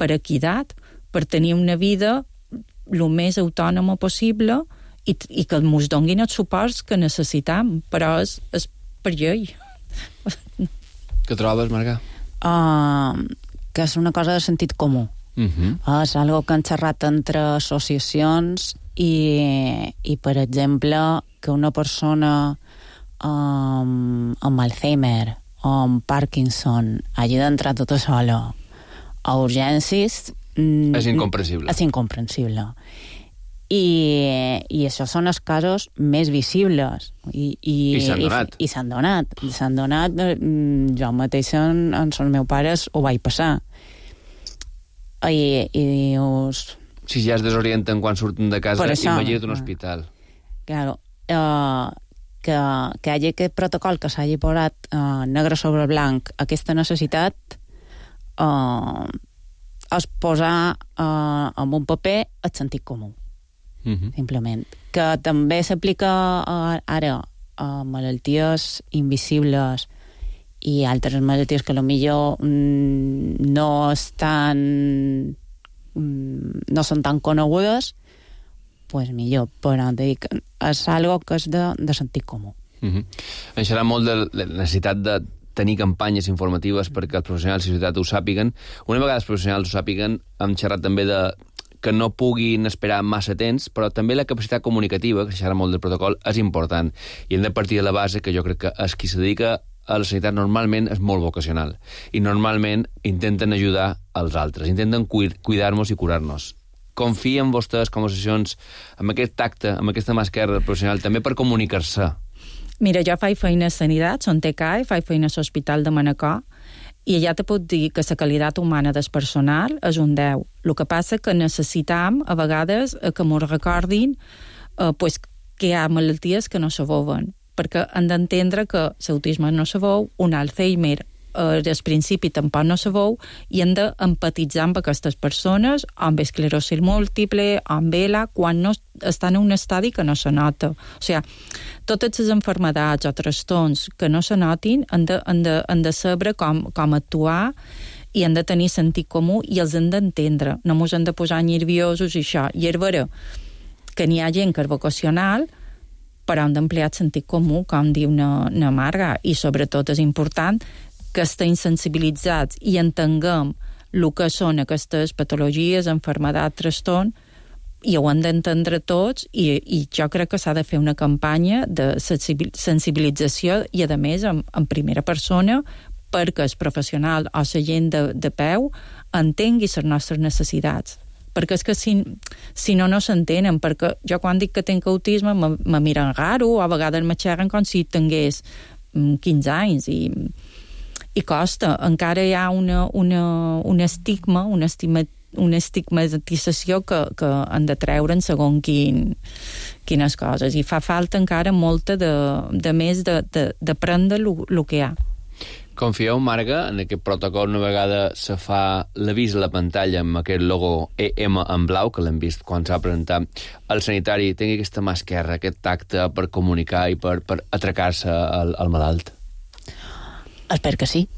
per equitat, per tenir una vida el més autònoma possible i, i que ens donguin els suports que necessitam, però és, és per llei. Què trobes, Marga? Uh, que és una cosa de sentit comú. Uh-huh. Uh, és algo que han xerrat entre associacions i, i per exemple, que una persona um, amb Alzheimer o amb Parkinson hagi d'entrar tota sola a urgències és incomprensible. És incomprensible. I, i això són els casos més visibles. I, i, I s'han donat. I, i s'han donat. S'han donat. Jo mateix en, en els meus pares ho vaig passar. I, i dius... Si ja es desorienten quan surten de casa, imagina't un hospital. Claro. Uh, que, que hi hagi aquest protocol que s'hagi posat uh, negre sobre blanc, aquesta necessitat... Uh, és posar eh, en un paper el sentit comú, uh-huh. simplement. Que també s'aplica eh, ara a malalties invisibles i altres malalties que potser mm, no estan mm, no són tan conegudes, pues millor, però dic, és algo que és de, de sentit comú. Uh-huh. Em serà molt de la necessitat de tenir campanyes informatives perquè els professionals de la societat ho sàpiguen. Una vegada els professionals ho sàpiguen, hem xerrat també de que no puguin esperar massa temps, però també la capacitat comunicativa, que s'ha molt del protocol, és important. I hem de partir de la base que jo crec que els qui se dedica a la sanitat normalment és molt vocacional i normalment intenten ajudar als altres, intenten cuidar-nos i curar-nos. Confia en vostès com a associacions amb aquest tacte, amb aquesta mà esquerra professional, també per comunicar-se. Mira, jo faig feina a Sanitat, són T C A, faig feina a l'Hospital de Manacor, i ja te puc dir que la qualitat humana del personal és un deu. El que passa que necessitam, a vegades, que m'ho recordin eh, pues, que hi ha malalties que no se veuen, perquè han d'entendre que l'autisme no se veu, un Alzheimer eh, al principi tampoc no se veu, i han d'empatitzar amb aquestes persones, amb esclerosi múltiple, amb E L A, quan no estan en un estadi que no se nota. O sigui, totes les enfermedats o trastorns que no se notin han de, han de, han de saber com, com actuar i han de tenir sentit comú i els han d'entendre. No mos han de posar nerviosos i això. I és vera que n'hi ha gent que és vocacional, però han d'emplear sentit comú, com diu na, na Marga, i sobretot és important que estiguin sensibilitzats i entenguem el que són aquestes patologies, enfermedats, trastorn, i ho han d'entendre tots, i, i jo crec que s'ha de fer una campanya de sensibilització i, a més, en, en primera persona, perquè el professional o la gent de, de peu entengui les nostres necessitats. Perquè és que si, si no, no s'entenen, perquè jo quan dic que tinc autisme me, me miren raro, o a vegades me xerren com si tingués quinze anys, i, i costa. Encara hi ha una, una, un estigma, un estigma una estigmatització que, que han de treure'n segons quin, quines coses, i fa falta encara molta de, de més d'aprendre el que hi ha. Confieu, Marga, en aquest protocol una vegada se fa l'avís a la pantalla amb aquest logo E M en blau, que l'hem vist quan s'ha presentat, el sanitari tingui aquesta mà esquerra, aquest tacte per comunicar i per, per atracar-se al, al malalt? Espero que sí.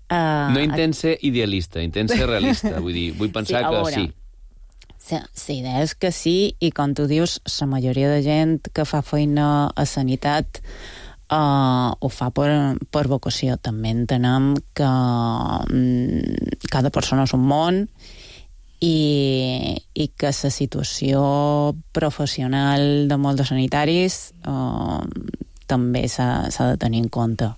Uh, no intent ser idealista, intent ser realista. Vull dir, vull pensar sí, que veure, sí. La idea és que sí, i com tu dius, la majoria de gent que fa feina a sanitat uh, ho fa per, per vocació. També entenem que um, cada persona és un món i, i que la situació professional de molts sanitaris uh, també s'ha de tenir en compte.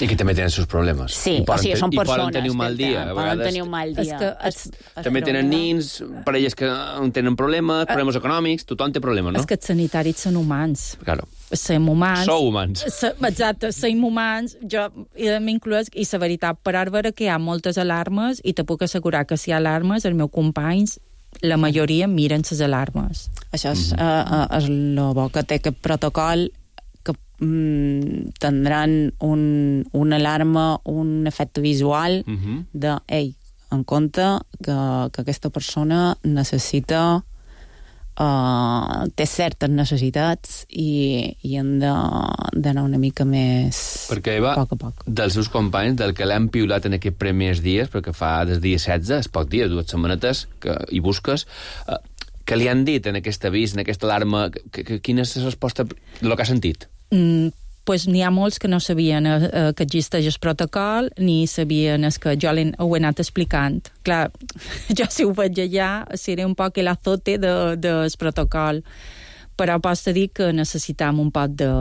I que també tenen els seus problemes. Sí, o sigui, són persones. I poden tenir un mal dia. Que, poden tenir un mal dia. És que, és, és també tenen nins, parelles que tenen problemes, problemes econòmics, tothom té problemes, no? És que els sanitaris són humans. Claro. Som humans. Sou humans. Exacte, som humans. Jo m'incloc, i la veritat, per ara veure que hi ha moltes alarmes, i te puc assegurar que si hi ha alarmes, els meus companys, la majoria miren les alarmes. Això és, mm-hmm. uh, és el bo que té aquest protocol, que mm, tindran un, una alarma, un efecte visual uh-huh. de, ei, en compte que, que aquesta persona necessita uh, té certes necessitats i, i han d'anar una mica més perquè, Eva, a poc a poc. Dels seus companys, del que l'han piulat en aquests primers dies, perquè fa des dia setze, és poc dia, dues setmanetes, que hi busques, uh, què li han dit en aquest avís, en aquesta alarma? Que, que, quina és la resposta, el que ha sentit? Mm, pues n'hi ha molts que no sabien eh, que existeix el protocol, ni sabien es que jo ho he anat explicant. Clar, jo si ho veig allà, seré un poc l'azote del de, de protocol, però pots dir que necessitam un poc de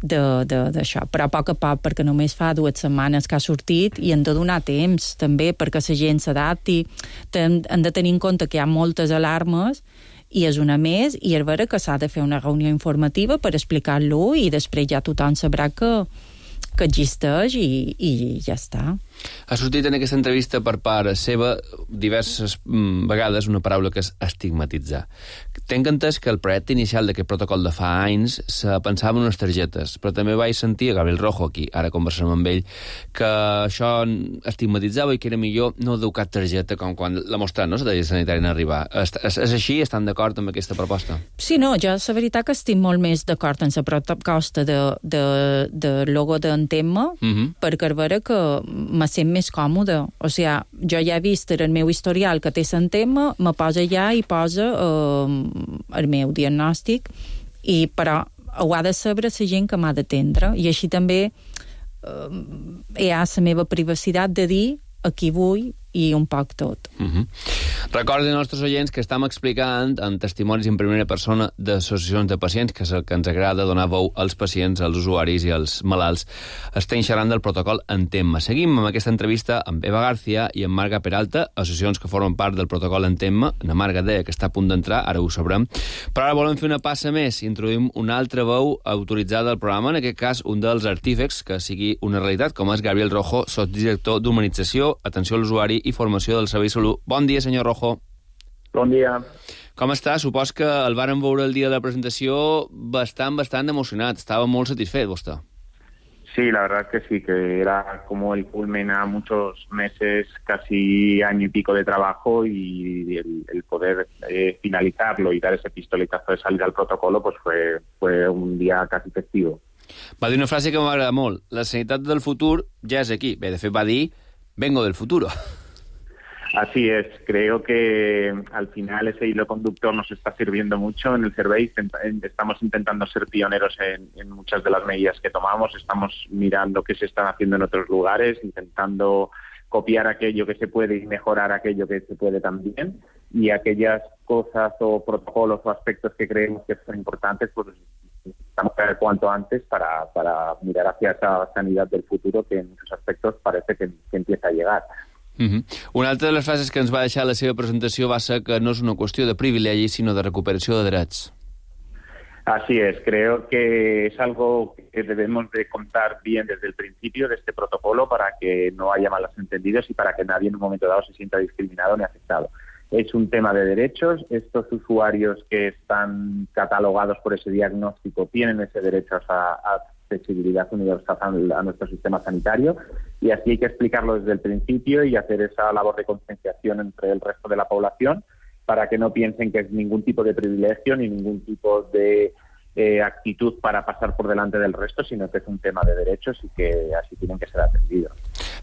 d'això, però a poc a poc, perquè només fa dues setmanes que ha sortit i han de donar temps també perquè la gent s'adapti. Han de tenir en compte que hi ha moltes alarmes i és una més, i és vera que s'ha de fer una reunió informativa per explicar-lo i després ja tothom sabrà que, que existeix i, i ja està. Ha sortit en aquesta entrevista per part seva diverses mm, vegades una paraula que és estigmatitzar. Tenc entès que el projecte inicial d'aquest protocol de fa anys se pensava en unes targetes, però també vaig sentir a Gabriel Rojo aquí, ara conversem amb ell, que això estigmatitzava i que era millor no dur cap targeta com quan la mostrat, no?, la targeta sanitària en arribar. És, és, és així? Estan d'acord amb aquesta proposta? Sí, no, jo la veritat que estic molt més d'acord en la proposta de, de, de logo d'Entemma, uh-huh. perquè és vera que me sent més còmode. O sigui, jo ja he vist el meu historial que té Entemma, me posa allà i posa eh, el meu diagnòstic, i, però ho ha de saber la gent que m'ha d'atendre, i així també eh, hi ha la meva privacitat de dir a qui vull i un poc tot. Uh-huh. Recordin als nostres oients que estem explicant en testimonis en primera persona d'associacions de pacients, que és el que ens agrada donar veu als pacients, als usuaris i als malalts. Estem xerrant del protocol Entemma. Seguim amb aquesta entrevista amb Eva García i amb Marga Peralta, associacions que formen part del protocol Entemma. Na Marga deia que està a punt d'entrar, ara ho sabrem. Però ara volem fer una passa més. Introduïm una altra veu autoritzada al programa, en aquest cas un dels artífecs que sigui una realitat, com és Gabriel Rojo, sotsdirector d'Humanització, Atenció a l'Usuari i Formació del Servei de Salut. Bon dia, senyor Rojo. Bon dia. Com està? Supos que el vàrem veure el dia de la presentació bastant, bastant emocionat. Estava molt satisfet, vostè. Sí, la verdad que sí, que era como el culmen a muchos meses, casi año y pico de trabajo, y el, el poder eh, finalizarlo y dar ese pistoletazo de salida al protocolo pues fue, fue un día casi festivo. Va dir una frase que m'agrada molt. La sanitat del futur ja és aquí. Bé, de fet va dir vengo del futuro. Así es, creo que al final ese hilo conductor nos está sirviendo mucho en el Servei. Estamos intentando ser pioneros en, en muchas de las medidas que tomamos, estamos mirando qué se están haciendo en otros lugares, intentando copiar aquello que se puede y mejorar aquello que se puede también, y aquellas cosas o protocolos o aspectos que creemos que son importantes, pues necesitamos saber cuanto antes para, para mirar hacia esa sanidad del futuro que en muchos aspectos parece que, que empieza a llegar. Uh-huh. Una altra de les frases que ens va deixar la seva presentació va ser que no és una qüestió de privilegi, sinó de recuperació de drets. Así es, creo que es algo que debemos de contar bien desde el principio de este protocolo para que no haya malos entendidos y para que nadie en un momento dado se sienta discriminado ni afectado. Es un tema de derechos. Estos usuarios que están catalogados por ese diagnóstico tienen ese derecho a, a accesibilidad universal a nuestro sistema sanitario, y así hay que explicarlo desde el principio y hacer esa labor de concienciación entre el resto de la población para que no piensen que es ningún tipo de privilegio ni ningún tipo de eh, actitud para pasar por delante del resto, sino que es un tema de derechos y que así tienen que ser atendidos.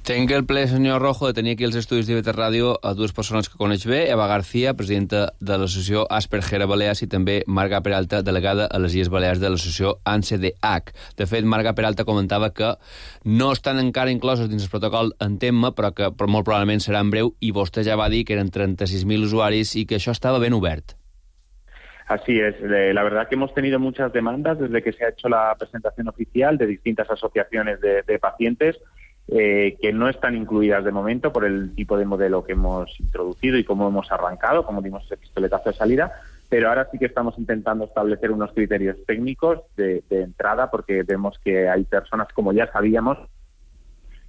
Tenc el ple, senyor Rojo, de tenir aquí els estudis d'I V T Ràdio a dues persones que coneix bé, Eva García, presidenta de l'associació Asperger a Balears, i també Marga Peralta, delegada a les Illes Balears de l'associació A N S E D H. De fet, Marga Peralta comentava que no estan encara inclosos dins el protocol Entemma, però que però molt probablement serà en breu, i vostè ja va dir que eren trenta-sis mil usuaris i que això estava ben obert. Así es, la verdad que hemos tenido muchas demandas desde que se ha hecho la presentación oficial de distintas asociaciones de, de pacientes eh, que no están incluidas de momento por el tipo de modelo que hemos introducido y cómo hemos arrancado, como dimos ese pistoletazo de salida, pero ahora sí que estamos intentando establecer unos criterios técnicos de, de entrada, porque vemos que hay personas, como ya sabíamos,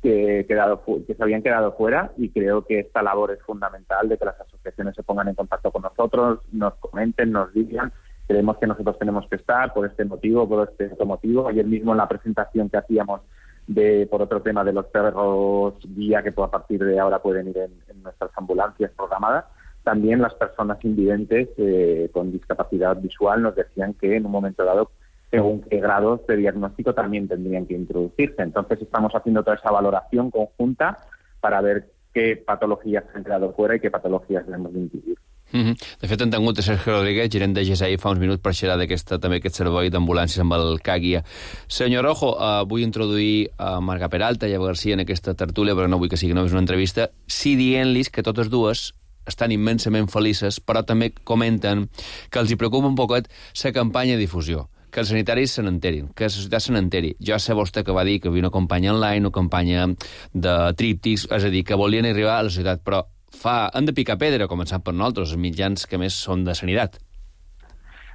que, quedado, que se habían quedado fuera, y creo que esta labor es fundamental de que las asociaciones se pongan en contacto con nosotros, nos comenten, nos digan. Creemos que nosotros tenemos que estar por este motivo, por este otro motivo. Ayer mismo en la presentación que hacíamos de por otro tema de los perros guía, que a partir de ahora pueden ir en, en nuestras ambulancias programadas, también las personas invidentes eh, con discapacidad visual nos decían que en un momento dado, según qué grados de diagnóstico también tendrían que introducirse. Entonces estamos haciendo toda esa valoración conjunta para ver qué patologías se han quedado fuera y qué patologías debemos de incluir. Mm-hmm. De fet, hem tingut a Sergio Rodríguez, gerent de G S I, fa uns minuts per xerrar d'aquesta, també aquest servei d'ambulàncies amb el C A G I A. Senyor Rojo, uh, vull introduir a uh, Marga Peralta i a García en aquesta tertúlia, però no vull que sigui només una entrevista, sí dient-los que totes dues estan immensament felices, però també comenten que els hi preocupa un poquet la campanya de difusió, que els sanitaris se n'enterin, que la societat se n'enteri. Jo sé vostè que va dir que havia una campanya online, una campanya de tríptics, és a dir, que volien arribar a la societat, però fa, han de picar pedra, començant per nosaltres, els mitjans que més són de sanitat.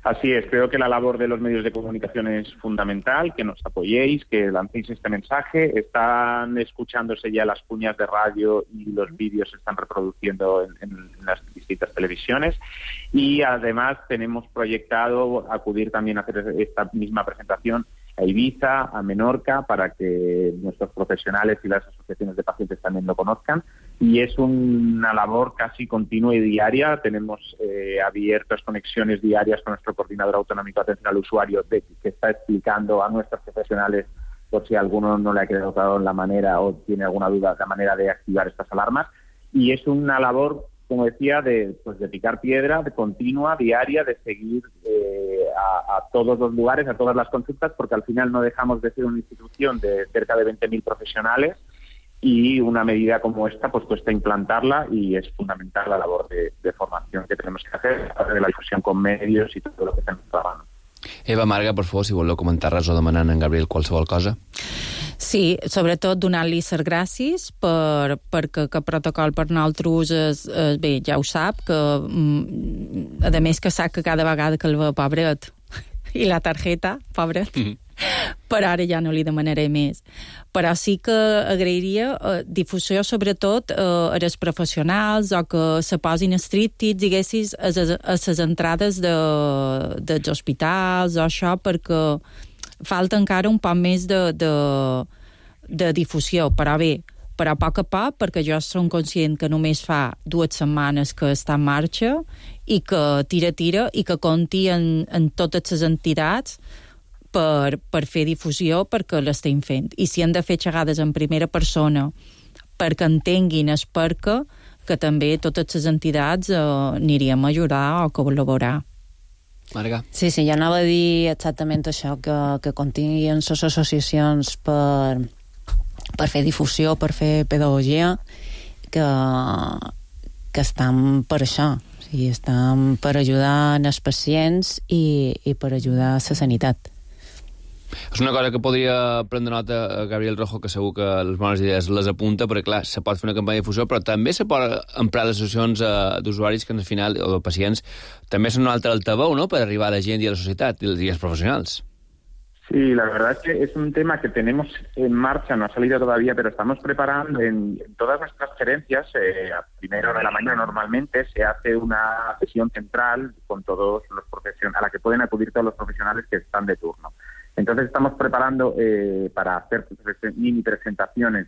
Así es, creo que la labor de los medios de comunicación es fundamental, que nos apoyéis, que lancéis este mensaje. Están escuchándose ya las cuñas de radio y los vídeos se están reproduciendo en, en las distintas televisiones, y además tenemos proyectado acudir también a hacer esta misma presentación a Ibiza, a Menorca, para que nuestros profesionales y las asociaciones de pacientes también lo conozcan. Y es una labor casi continua y diaria. Tenemos eh, abiertas conexiones diarias con nuestro coordinador autonómico de atención al usuario, de, que está explicando a nuestros profesionales, por si a alguno no le ha quedado claro la manera o tiene alguna duda, la manera de activar estas alarmas. Y es una labor como decía, de, pues de picar piedra, de continua, diaria, de seguir eh, a, a todos los lugares, a todas las consultas, porque al final no dejamos de ser una institución de cerca de veinte mil profesionales y una medida como esta pues cuesta implantarla y es fundamental la labor de, de formación que tenemos que hacer, de la difusión con medios i tot el que fem a mano. Eva Marga, per favor, si voleu comentar res o demanar a en Gabriel qualsevol cosa. Sí, sobretot donar-li les gràcies per, perquè aquest protocol per nosaltres és, és, bé, ja ho sap, que a més que sap que cada vegada que el ve, pobret, i la targeta, pobret, mm-hmm. però ara ja no li demanaré més. Però sí que agrairia eh, difusió sobretot eh, a les professionals o que se posin estrictes, diguessis, a les entrades de, dels hospitals o això, perquè falta encara un poc més de, de, de difusió, però bé, però a poc a poc, perquè jo som conscient que només fa dues setmanes que està en marxa i que tira, tira, i que compti en, en totes les entitats per, per fer difusió, perquè l'estem fent. I si han de fer xerrades en primera persona perquè entenguin es perquè, que també totes les entitats eh, aniríem a ajudar o col·laborar. Marga. Sí, sí, jo anava a dir exactament això, que, que continguin les associacions per, per fer difusió, per fer pedagogia, que, que estan per això, o sigui, estan per ajudar els pacients i, i per ajudar a la sanitat. És una cosa que podria prendre nota a Gabriel Rojo, que segur que les bones idees les apunta, perquè clar, se pot fer una campanya de difusió, però també se pot emprar les associacions eh, d'usuaris que al final, o de pacients, també són un altre altaveu, ¿no?, per arribar a la gent i a la societat i als professionals. Sí, la verdad es que es un tema que tenemos en marcha, no ha salido todavía, pero estamos preparando en, en todas nuestras gerencias. Eh, a primero de la mañana normalmente se hace una sesión central con todos los profesionales, a la que pueden acudir todos los profesionales que están de turno. Entonces estamos preparando eh, para hacer mini presentaciones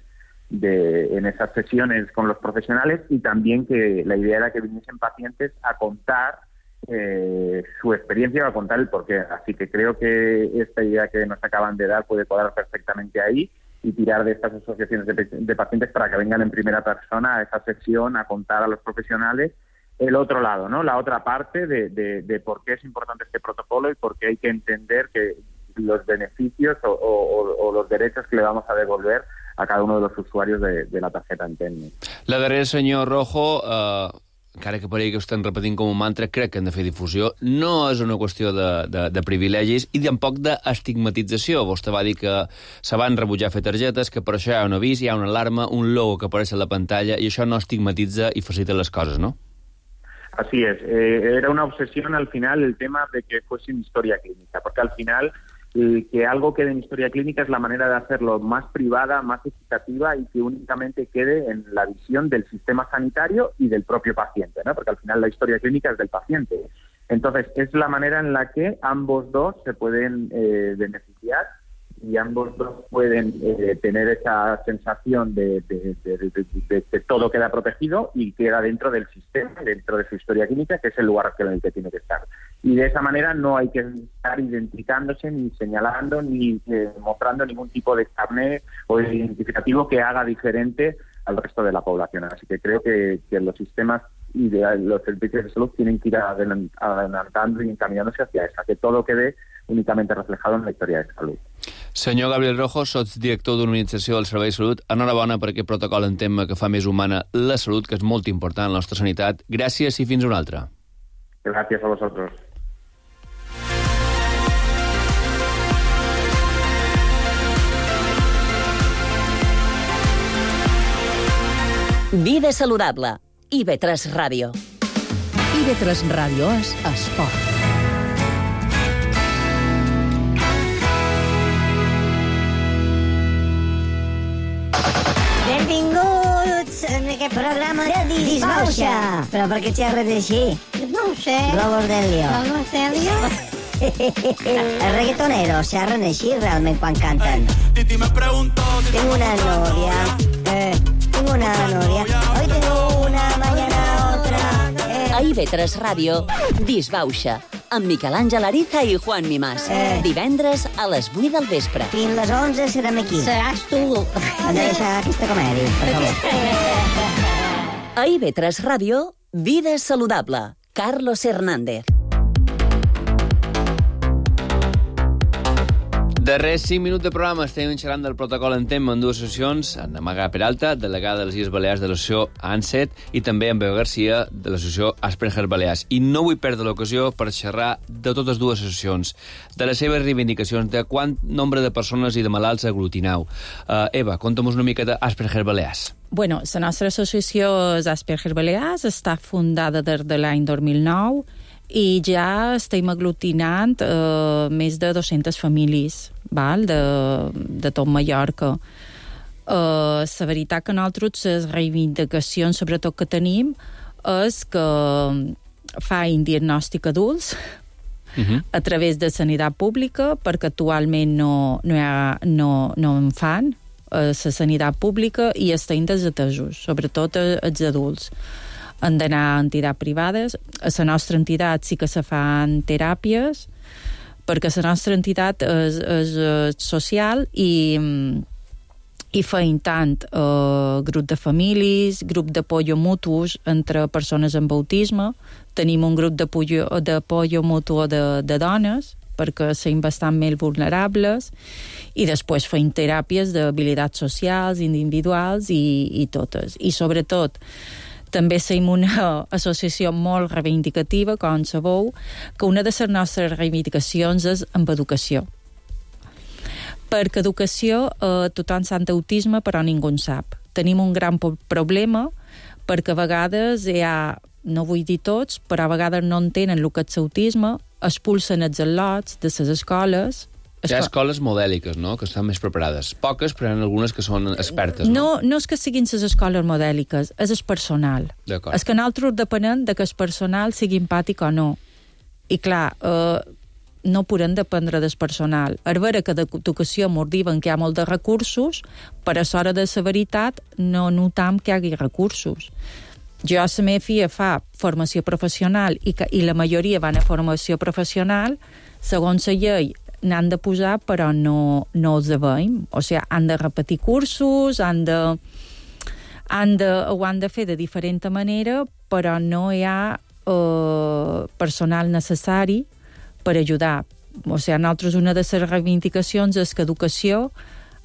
de, en esas sesiones con los profesionales, y también que la idea era que viniesen pacientes a contar eh, su experiencia o a contar el porqué. Así que creo que esta idea que nos acaban de dar puede cuadrar perfectamente ahí y tirar de estas asociaciones de, de pacientes para que vengan en primera persona a esa sesión a contar a los profesionales el otro lado, ¿no? La otra parte de, de, de por qué es importante este protocolo y por qué hay que entender que los beneficios o, o, o los derechos que le vamos a devolver a cada uno de los usuarios de, de la tarjeta Entén-me. La darrera, senyor Rojo, eh, encara que paregui que ho estem repetint com un mantra, crec que hem de fer difusió. No és una qüestió de, de, de privilegis i tampoc d'estigmatització. Vostè va dir que se van rebutjar fer targetes, que per això hi ha un avís, hi ha una alarma, un logo que apareix a la pantalla, i això no estigmatitza i facilita les coses, no? Así es. Eh, era una obsesión al final el tema de que fuese en historia clínica, porque al final eh, que algo quede en historia clínica es la manera de hacerlo más privada, más equitativa y que únicamente quede en la visión del sistema sanitario y del propio paciente, ¿no? Porque al final la historia clínica es del paciente. Entonces, es la manera en la que ambos dos se pueden eh, beneficiar y ambos dos pueden eh, tener esa sensación de, de, de, de, de, de que todo queda protegido y queda dentro del sistema, dentro de su historia clínica, que es el lugar en el que tiene que estar. Y de esa manera no hay que estar identificándose, ni señalando, ni eh, mostrando ningún tipo de carnet o identificativo que haga diferente al resto de la población. Así que creo que, que los sistemas y de los servicios de salud tienen que ir adelantando y encaminándose hacia esa, que todo quede únicamente reflejado en la historia de salud. Senyor Gabriel Rojo, sots director d'Organització del Servei de Salut. Enhorabona per aquest protocol en tema que fa més humana la salut, que és molt important a la nostra sanitat. Gràcies i fins una altra. Gràcies a vosaltres. Vida saludable. I V tres Ràdio. I V tres Ràdio és esport. Benvinguts en aquest programa de Disbauxa. Però per què xerres així? No ho sé. Globos Delio. Globos Delio? Els reggaetoneros xerren així realment quan canten. Tengo una novia. Eh, tengo una novia. Hoy tengo una, mañana otra. Eh. A I V tres Ràdio, Disbauxa, amb Miquel Àngel Ariza i Juan Mimàs. Eh. Divendres a les vuit del vespre. Fins les onze serem aquí. Seràs tu. Hem de deixar aquesta comèdia, per favor. A I V tres Ràdio, Vida saludable. Carlos Hernández. Darrers cinc minuts de programa estem xerrant del protocol en tema en dues associacions, amb Amagà Peralta, delegada de les Illes Balears de l'associació ANSET, i també amb Beu Garcia, de l'associació Asperger Balears. I no vull perdre l'ocasió per xerrar de totes dues associacions, de les seves reivindicacions, de quant nombre de persones i de malalts aglutinau. Uh, Eva, conta'm una mica d'Asperger Balears. Bueno, la nostra associació Asperger Balears està fundada des de l'any dos mil nou i ja estem aglutinant eh, més de dues-centes famílies, val? De, de tot Mallorca. Eh, la veritat que nosaltres les reivindicacions sobretot que tenim és que fan diagnòstic adults uh-huh. a través de sanitat pública, perquè actualment no, no, ha, no, no en fan a la sanitat pública i estan desatesos, sobretot els adults. Han d'anar a entitats privades. A la nostra entitat sí que se fan teràpies, perquè la nostra entitat és, és, és social i, i feim tant eh, grup de famílies, grup d'apoyo mutus entre persones amb autisme. Tenim un grup d'apoyo mutu de, de dones, perquè som bastant més vulnerables, i després feim teràpies d'habilitats socials, individuals i, i totes. I sobretot, també som una associació molt reivindicativa, com sabeu, que una de les nostres reivindicacions és amb educació. Perquè educació, eh, tothom sap d'autisme, però ningú en sap. Tenim un gran problema, perquè a vegades hi ha, no vull dir tots, però a vegades no entenen el que és l'autisme, expulsen els al·lots de les escoles. Hi ha escoles modèliques, no?, que estan més preparades. Poques, però hi ha algunes que són expertes, no? No, no és que siguin les escoles modèliques, és el personal. D'acord. És que nosaltres depenem de que el personal sigui empàtic o no. I clar, eh, no podem dependre del personal. És vera que d'educació mos diuen que hi ha molt de recursos, però a l'hora de la veritat no notam que hi hagi recursos. Jo a la meva filla fa formació professional i, que, i la majoria van a formació professional, segons la llei n'han de posar, però no, no els veiem. O sigui, han de repetir cursos, han de, han de, ho han de fer de diferent manera, però no hi ha eh, personal necessari per ajudar. O sigui, nosaltres una de les reivindicacions és que educació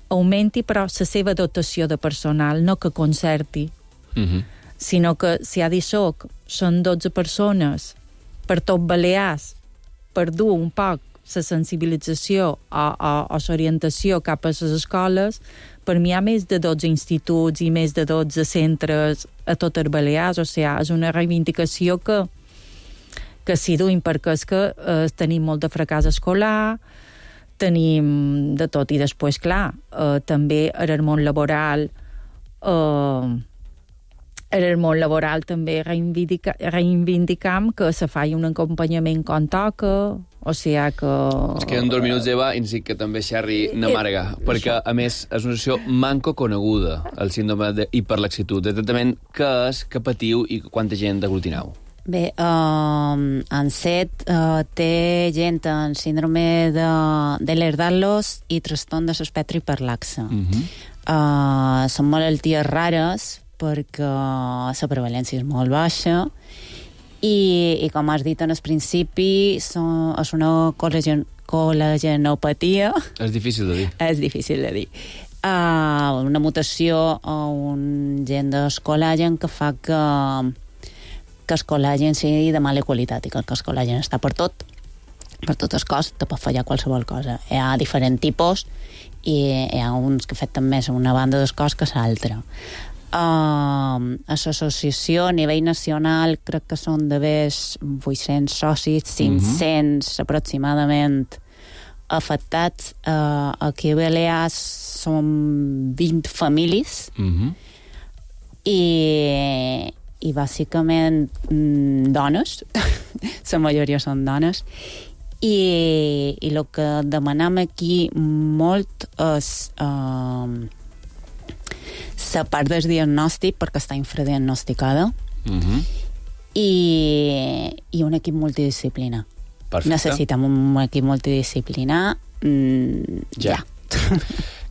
augmenti, però la seva dotació de personal, no que concerti. Uh-huh. Sinó que si ha dit soc, són dotze persones per tot Balears, per dur un poc la sensibilització o, o, o l'orientació cap a les escoles, per mi hi ha més de dotze instituts i més de dotze centres a tot el Balears. O sigui, és una reivindicació que, que s'hi duim, perquè és que eh, tenim molt de fracàs escolar, tenim de tot. I després, clar, eh, també en el món laboral... Eh, en el món laboral també reivindica, reivindicam que se faci un acompanyament com toca, o sigui que... Es queden dos minuts, Eva, i necessit que també xerri na Marga, eh, perquè, a més, és una associació manco coneguda, el síndrome d'hiperlaxitud. Exactament què és, què patiu i quanta gent aglutinau? Bé, uh, ANSET uh, té gent amb síndrome de, de l'Ehlers-Danlos i trastorn de l'espectre hiperlaxe. Uh-huh. uh, són malalties rares, perquè la prevalència és molt baixa i, i com has dit en el principi, són, és una col·lagen, col·lagenopatia. És difícil de dir. És difícil de dir. Uh, una mutació o un gen del col·lagen que fa que, que el col·lagen sigui de mala qualitat i que el col·lagen està per tot, per tot el cos, te pot fallar qualsevol cosa. Hi ha diferents tipus i hi ha uns que afecten més a una banda del cos que a l'altra. Uh, a l'associació a nivell nacional crec que són d'haver vuit-cents socis, cinc-cents uh-huh. aproximadament afectats. Uh, aquí a Balears són vint famílies uh-huh. i, i bàsicament mm, dones, la majoria són dones, i, i el que demanem aquí molt és uh, la part del diagnòstic, perquè està infradiagnosticada, uh-huh. i, i un equip multidisciplinar. Perfecte. Necessitem un equip multidisciplinar mm, ja. ja.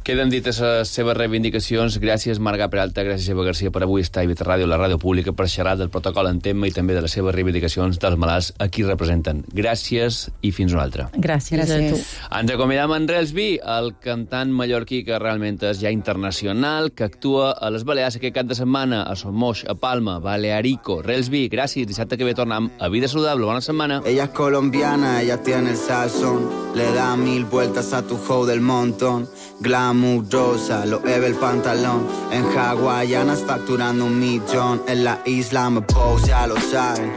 Queden dites les seves reivindicacions. Gràcies, Marga Peralta, gràcies, Eva Garcia, per avui estar a Ibeta Ràdio, la ràdio pública, per xerrar del protocol en tema i també de les seves reivindicacions dels malalts a qui representen. Gràcies i fins una altra. Gràcies, gràcies. a tu. Ens acomiadam en Relsby, el cantant mallorquí que realment és ja internacional, que actua a les Balears aquest cap de setmana, a Somos, a Palma, Balearico. Relsby, gràcies. Dissabte que ve tornem a Vida Saludable. Bona setmana. Ella es colombiana, ella tiene el sazón, le da mil vueltas a tu show del montón. Glamurosa, lo eve el pantalón. En hawaianas facturando un millón. En la isla me pose, ya lo saben.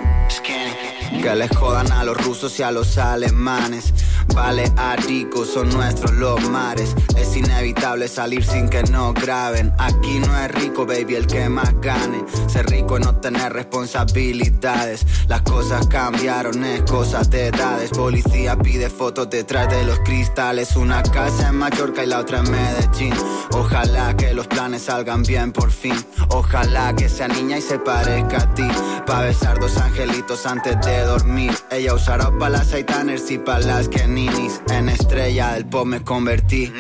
Que les jodan a los rusos y a los alemanes. Balearicos son nuestros los mares. Es inevitable salir sin que nos graben. Aquí no es rico, baby, el que más gane. Ser rico es no tener responsabilidades. Las cosas cambiaron, es cosa de edades. Policía pide fotos detrás de los cristales. Una casa en Mallorca y la otra en Medellín. Ojalá que los planes salgan bien por fin. Ojalá que sea niña y se parezca a ti. Pa' besar dos angelitos antes de dormir. Ella usará pa' las Aitaners y pa' las Keninis. En estrella del pop me convertí.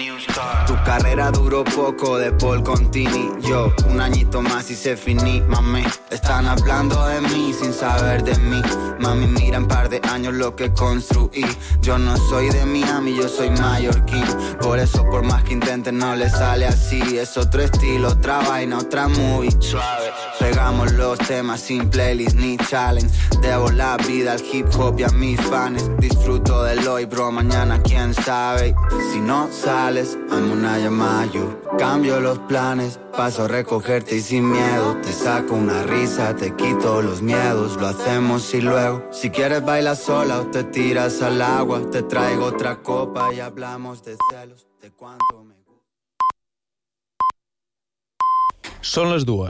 Tu carrera duró poco de Paul Contini. Yo, un añito más y se finí, mami. Están hablando de mí sin saber de mí. Mami, mira en par de años lo que construí. Yo no soy de Miami, yo soy mallorquín. Por eso, por más que intenten, no le sale así. Es otro estilo, otra vaina, otra movie. Suave. Pegamos los temas sin playlist ni challenge. Debo la vida al hip hop y a mis fans. Disfruto del hoy, bro, mañana quién sabe. Si no sales, hazme una llamada, yo cambio los planes. Paso a recogerte y sin miedo te saco una risa, te quito los miedos. Lo hacemos y luego, si quieres bailar sola o te tiras al agua. Te traigo otra copa y hablamos de celos, de cuánto me... Són les dues.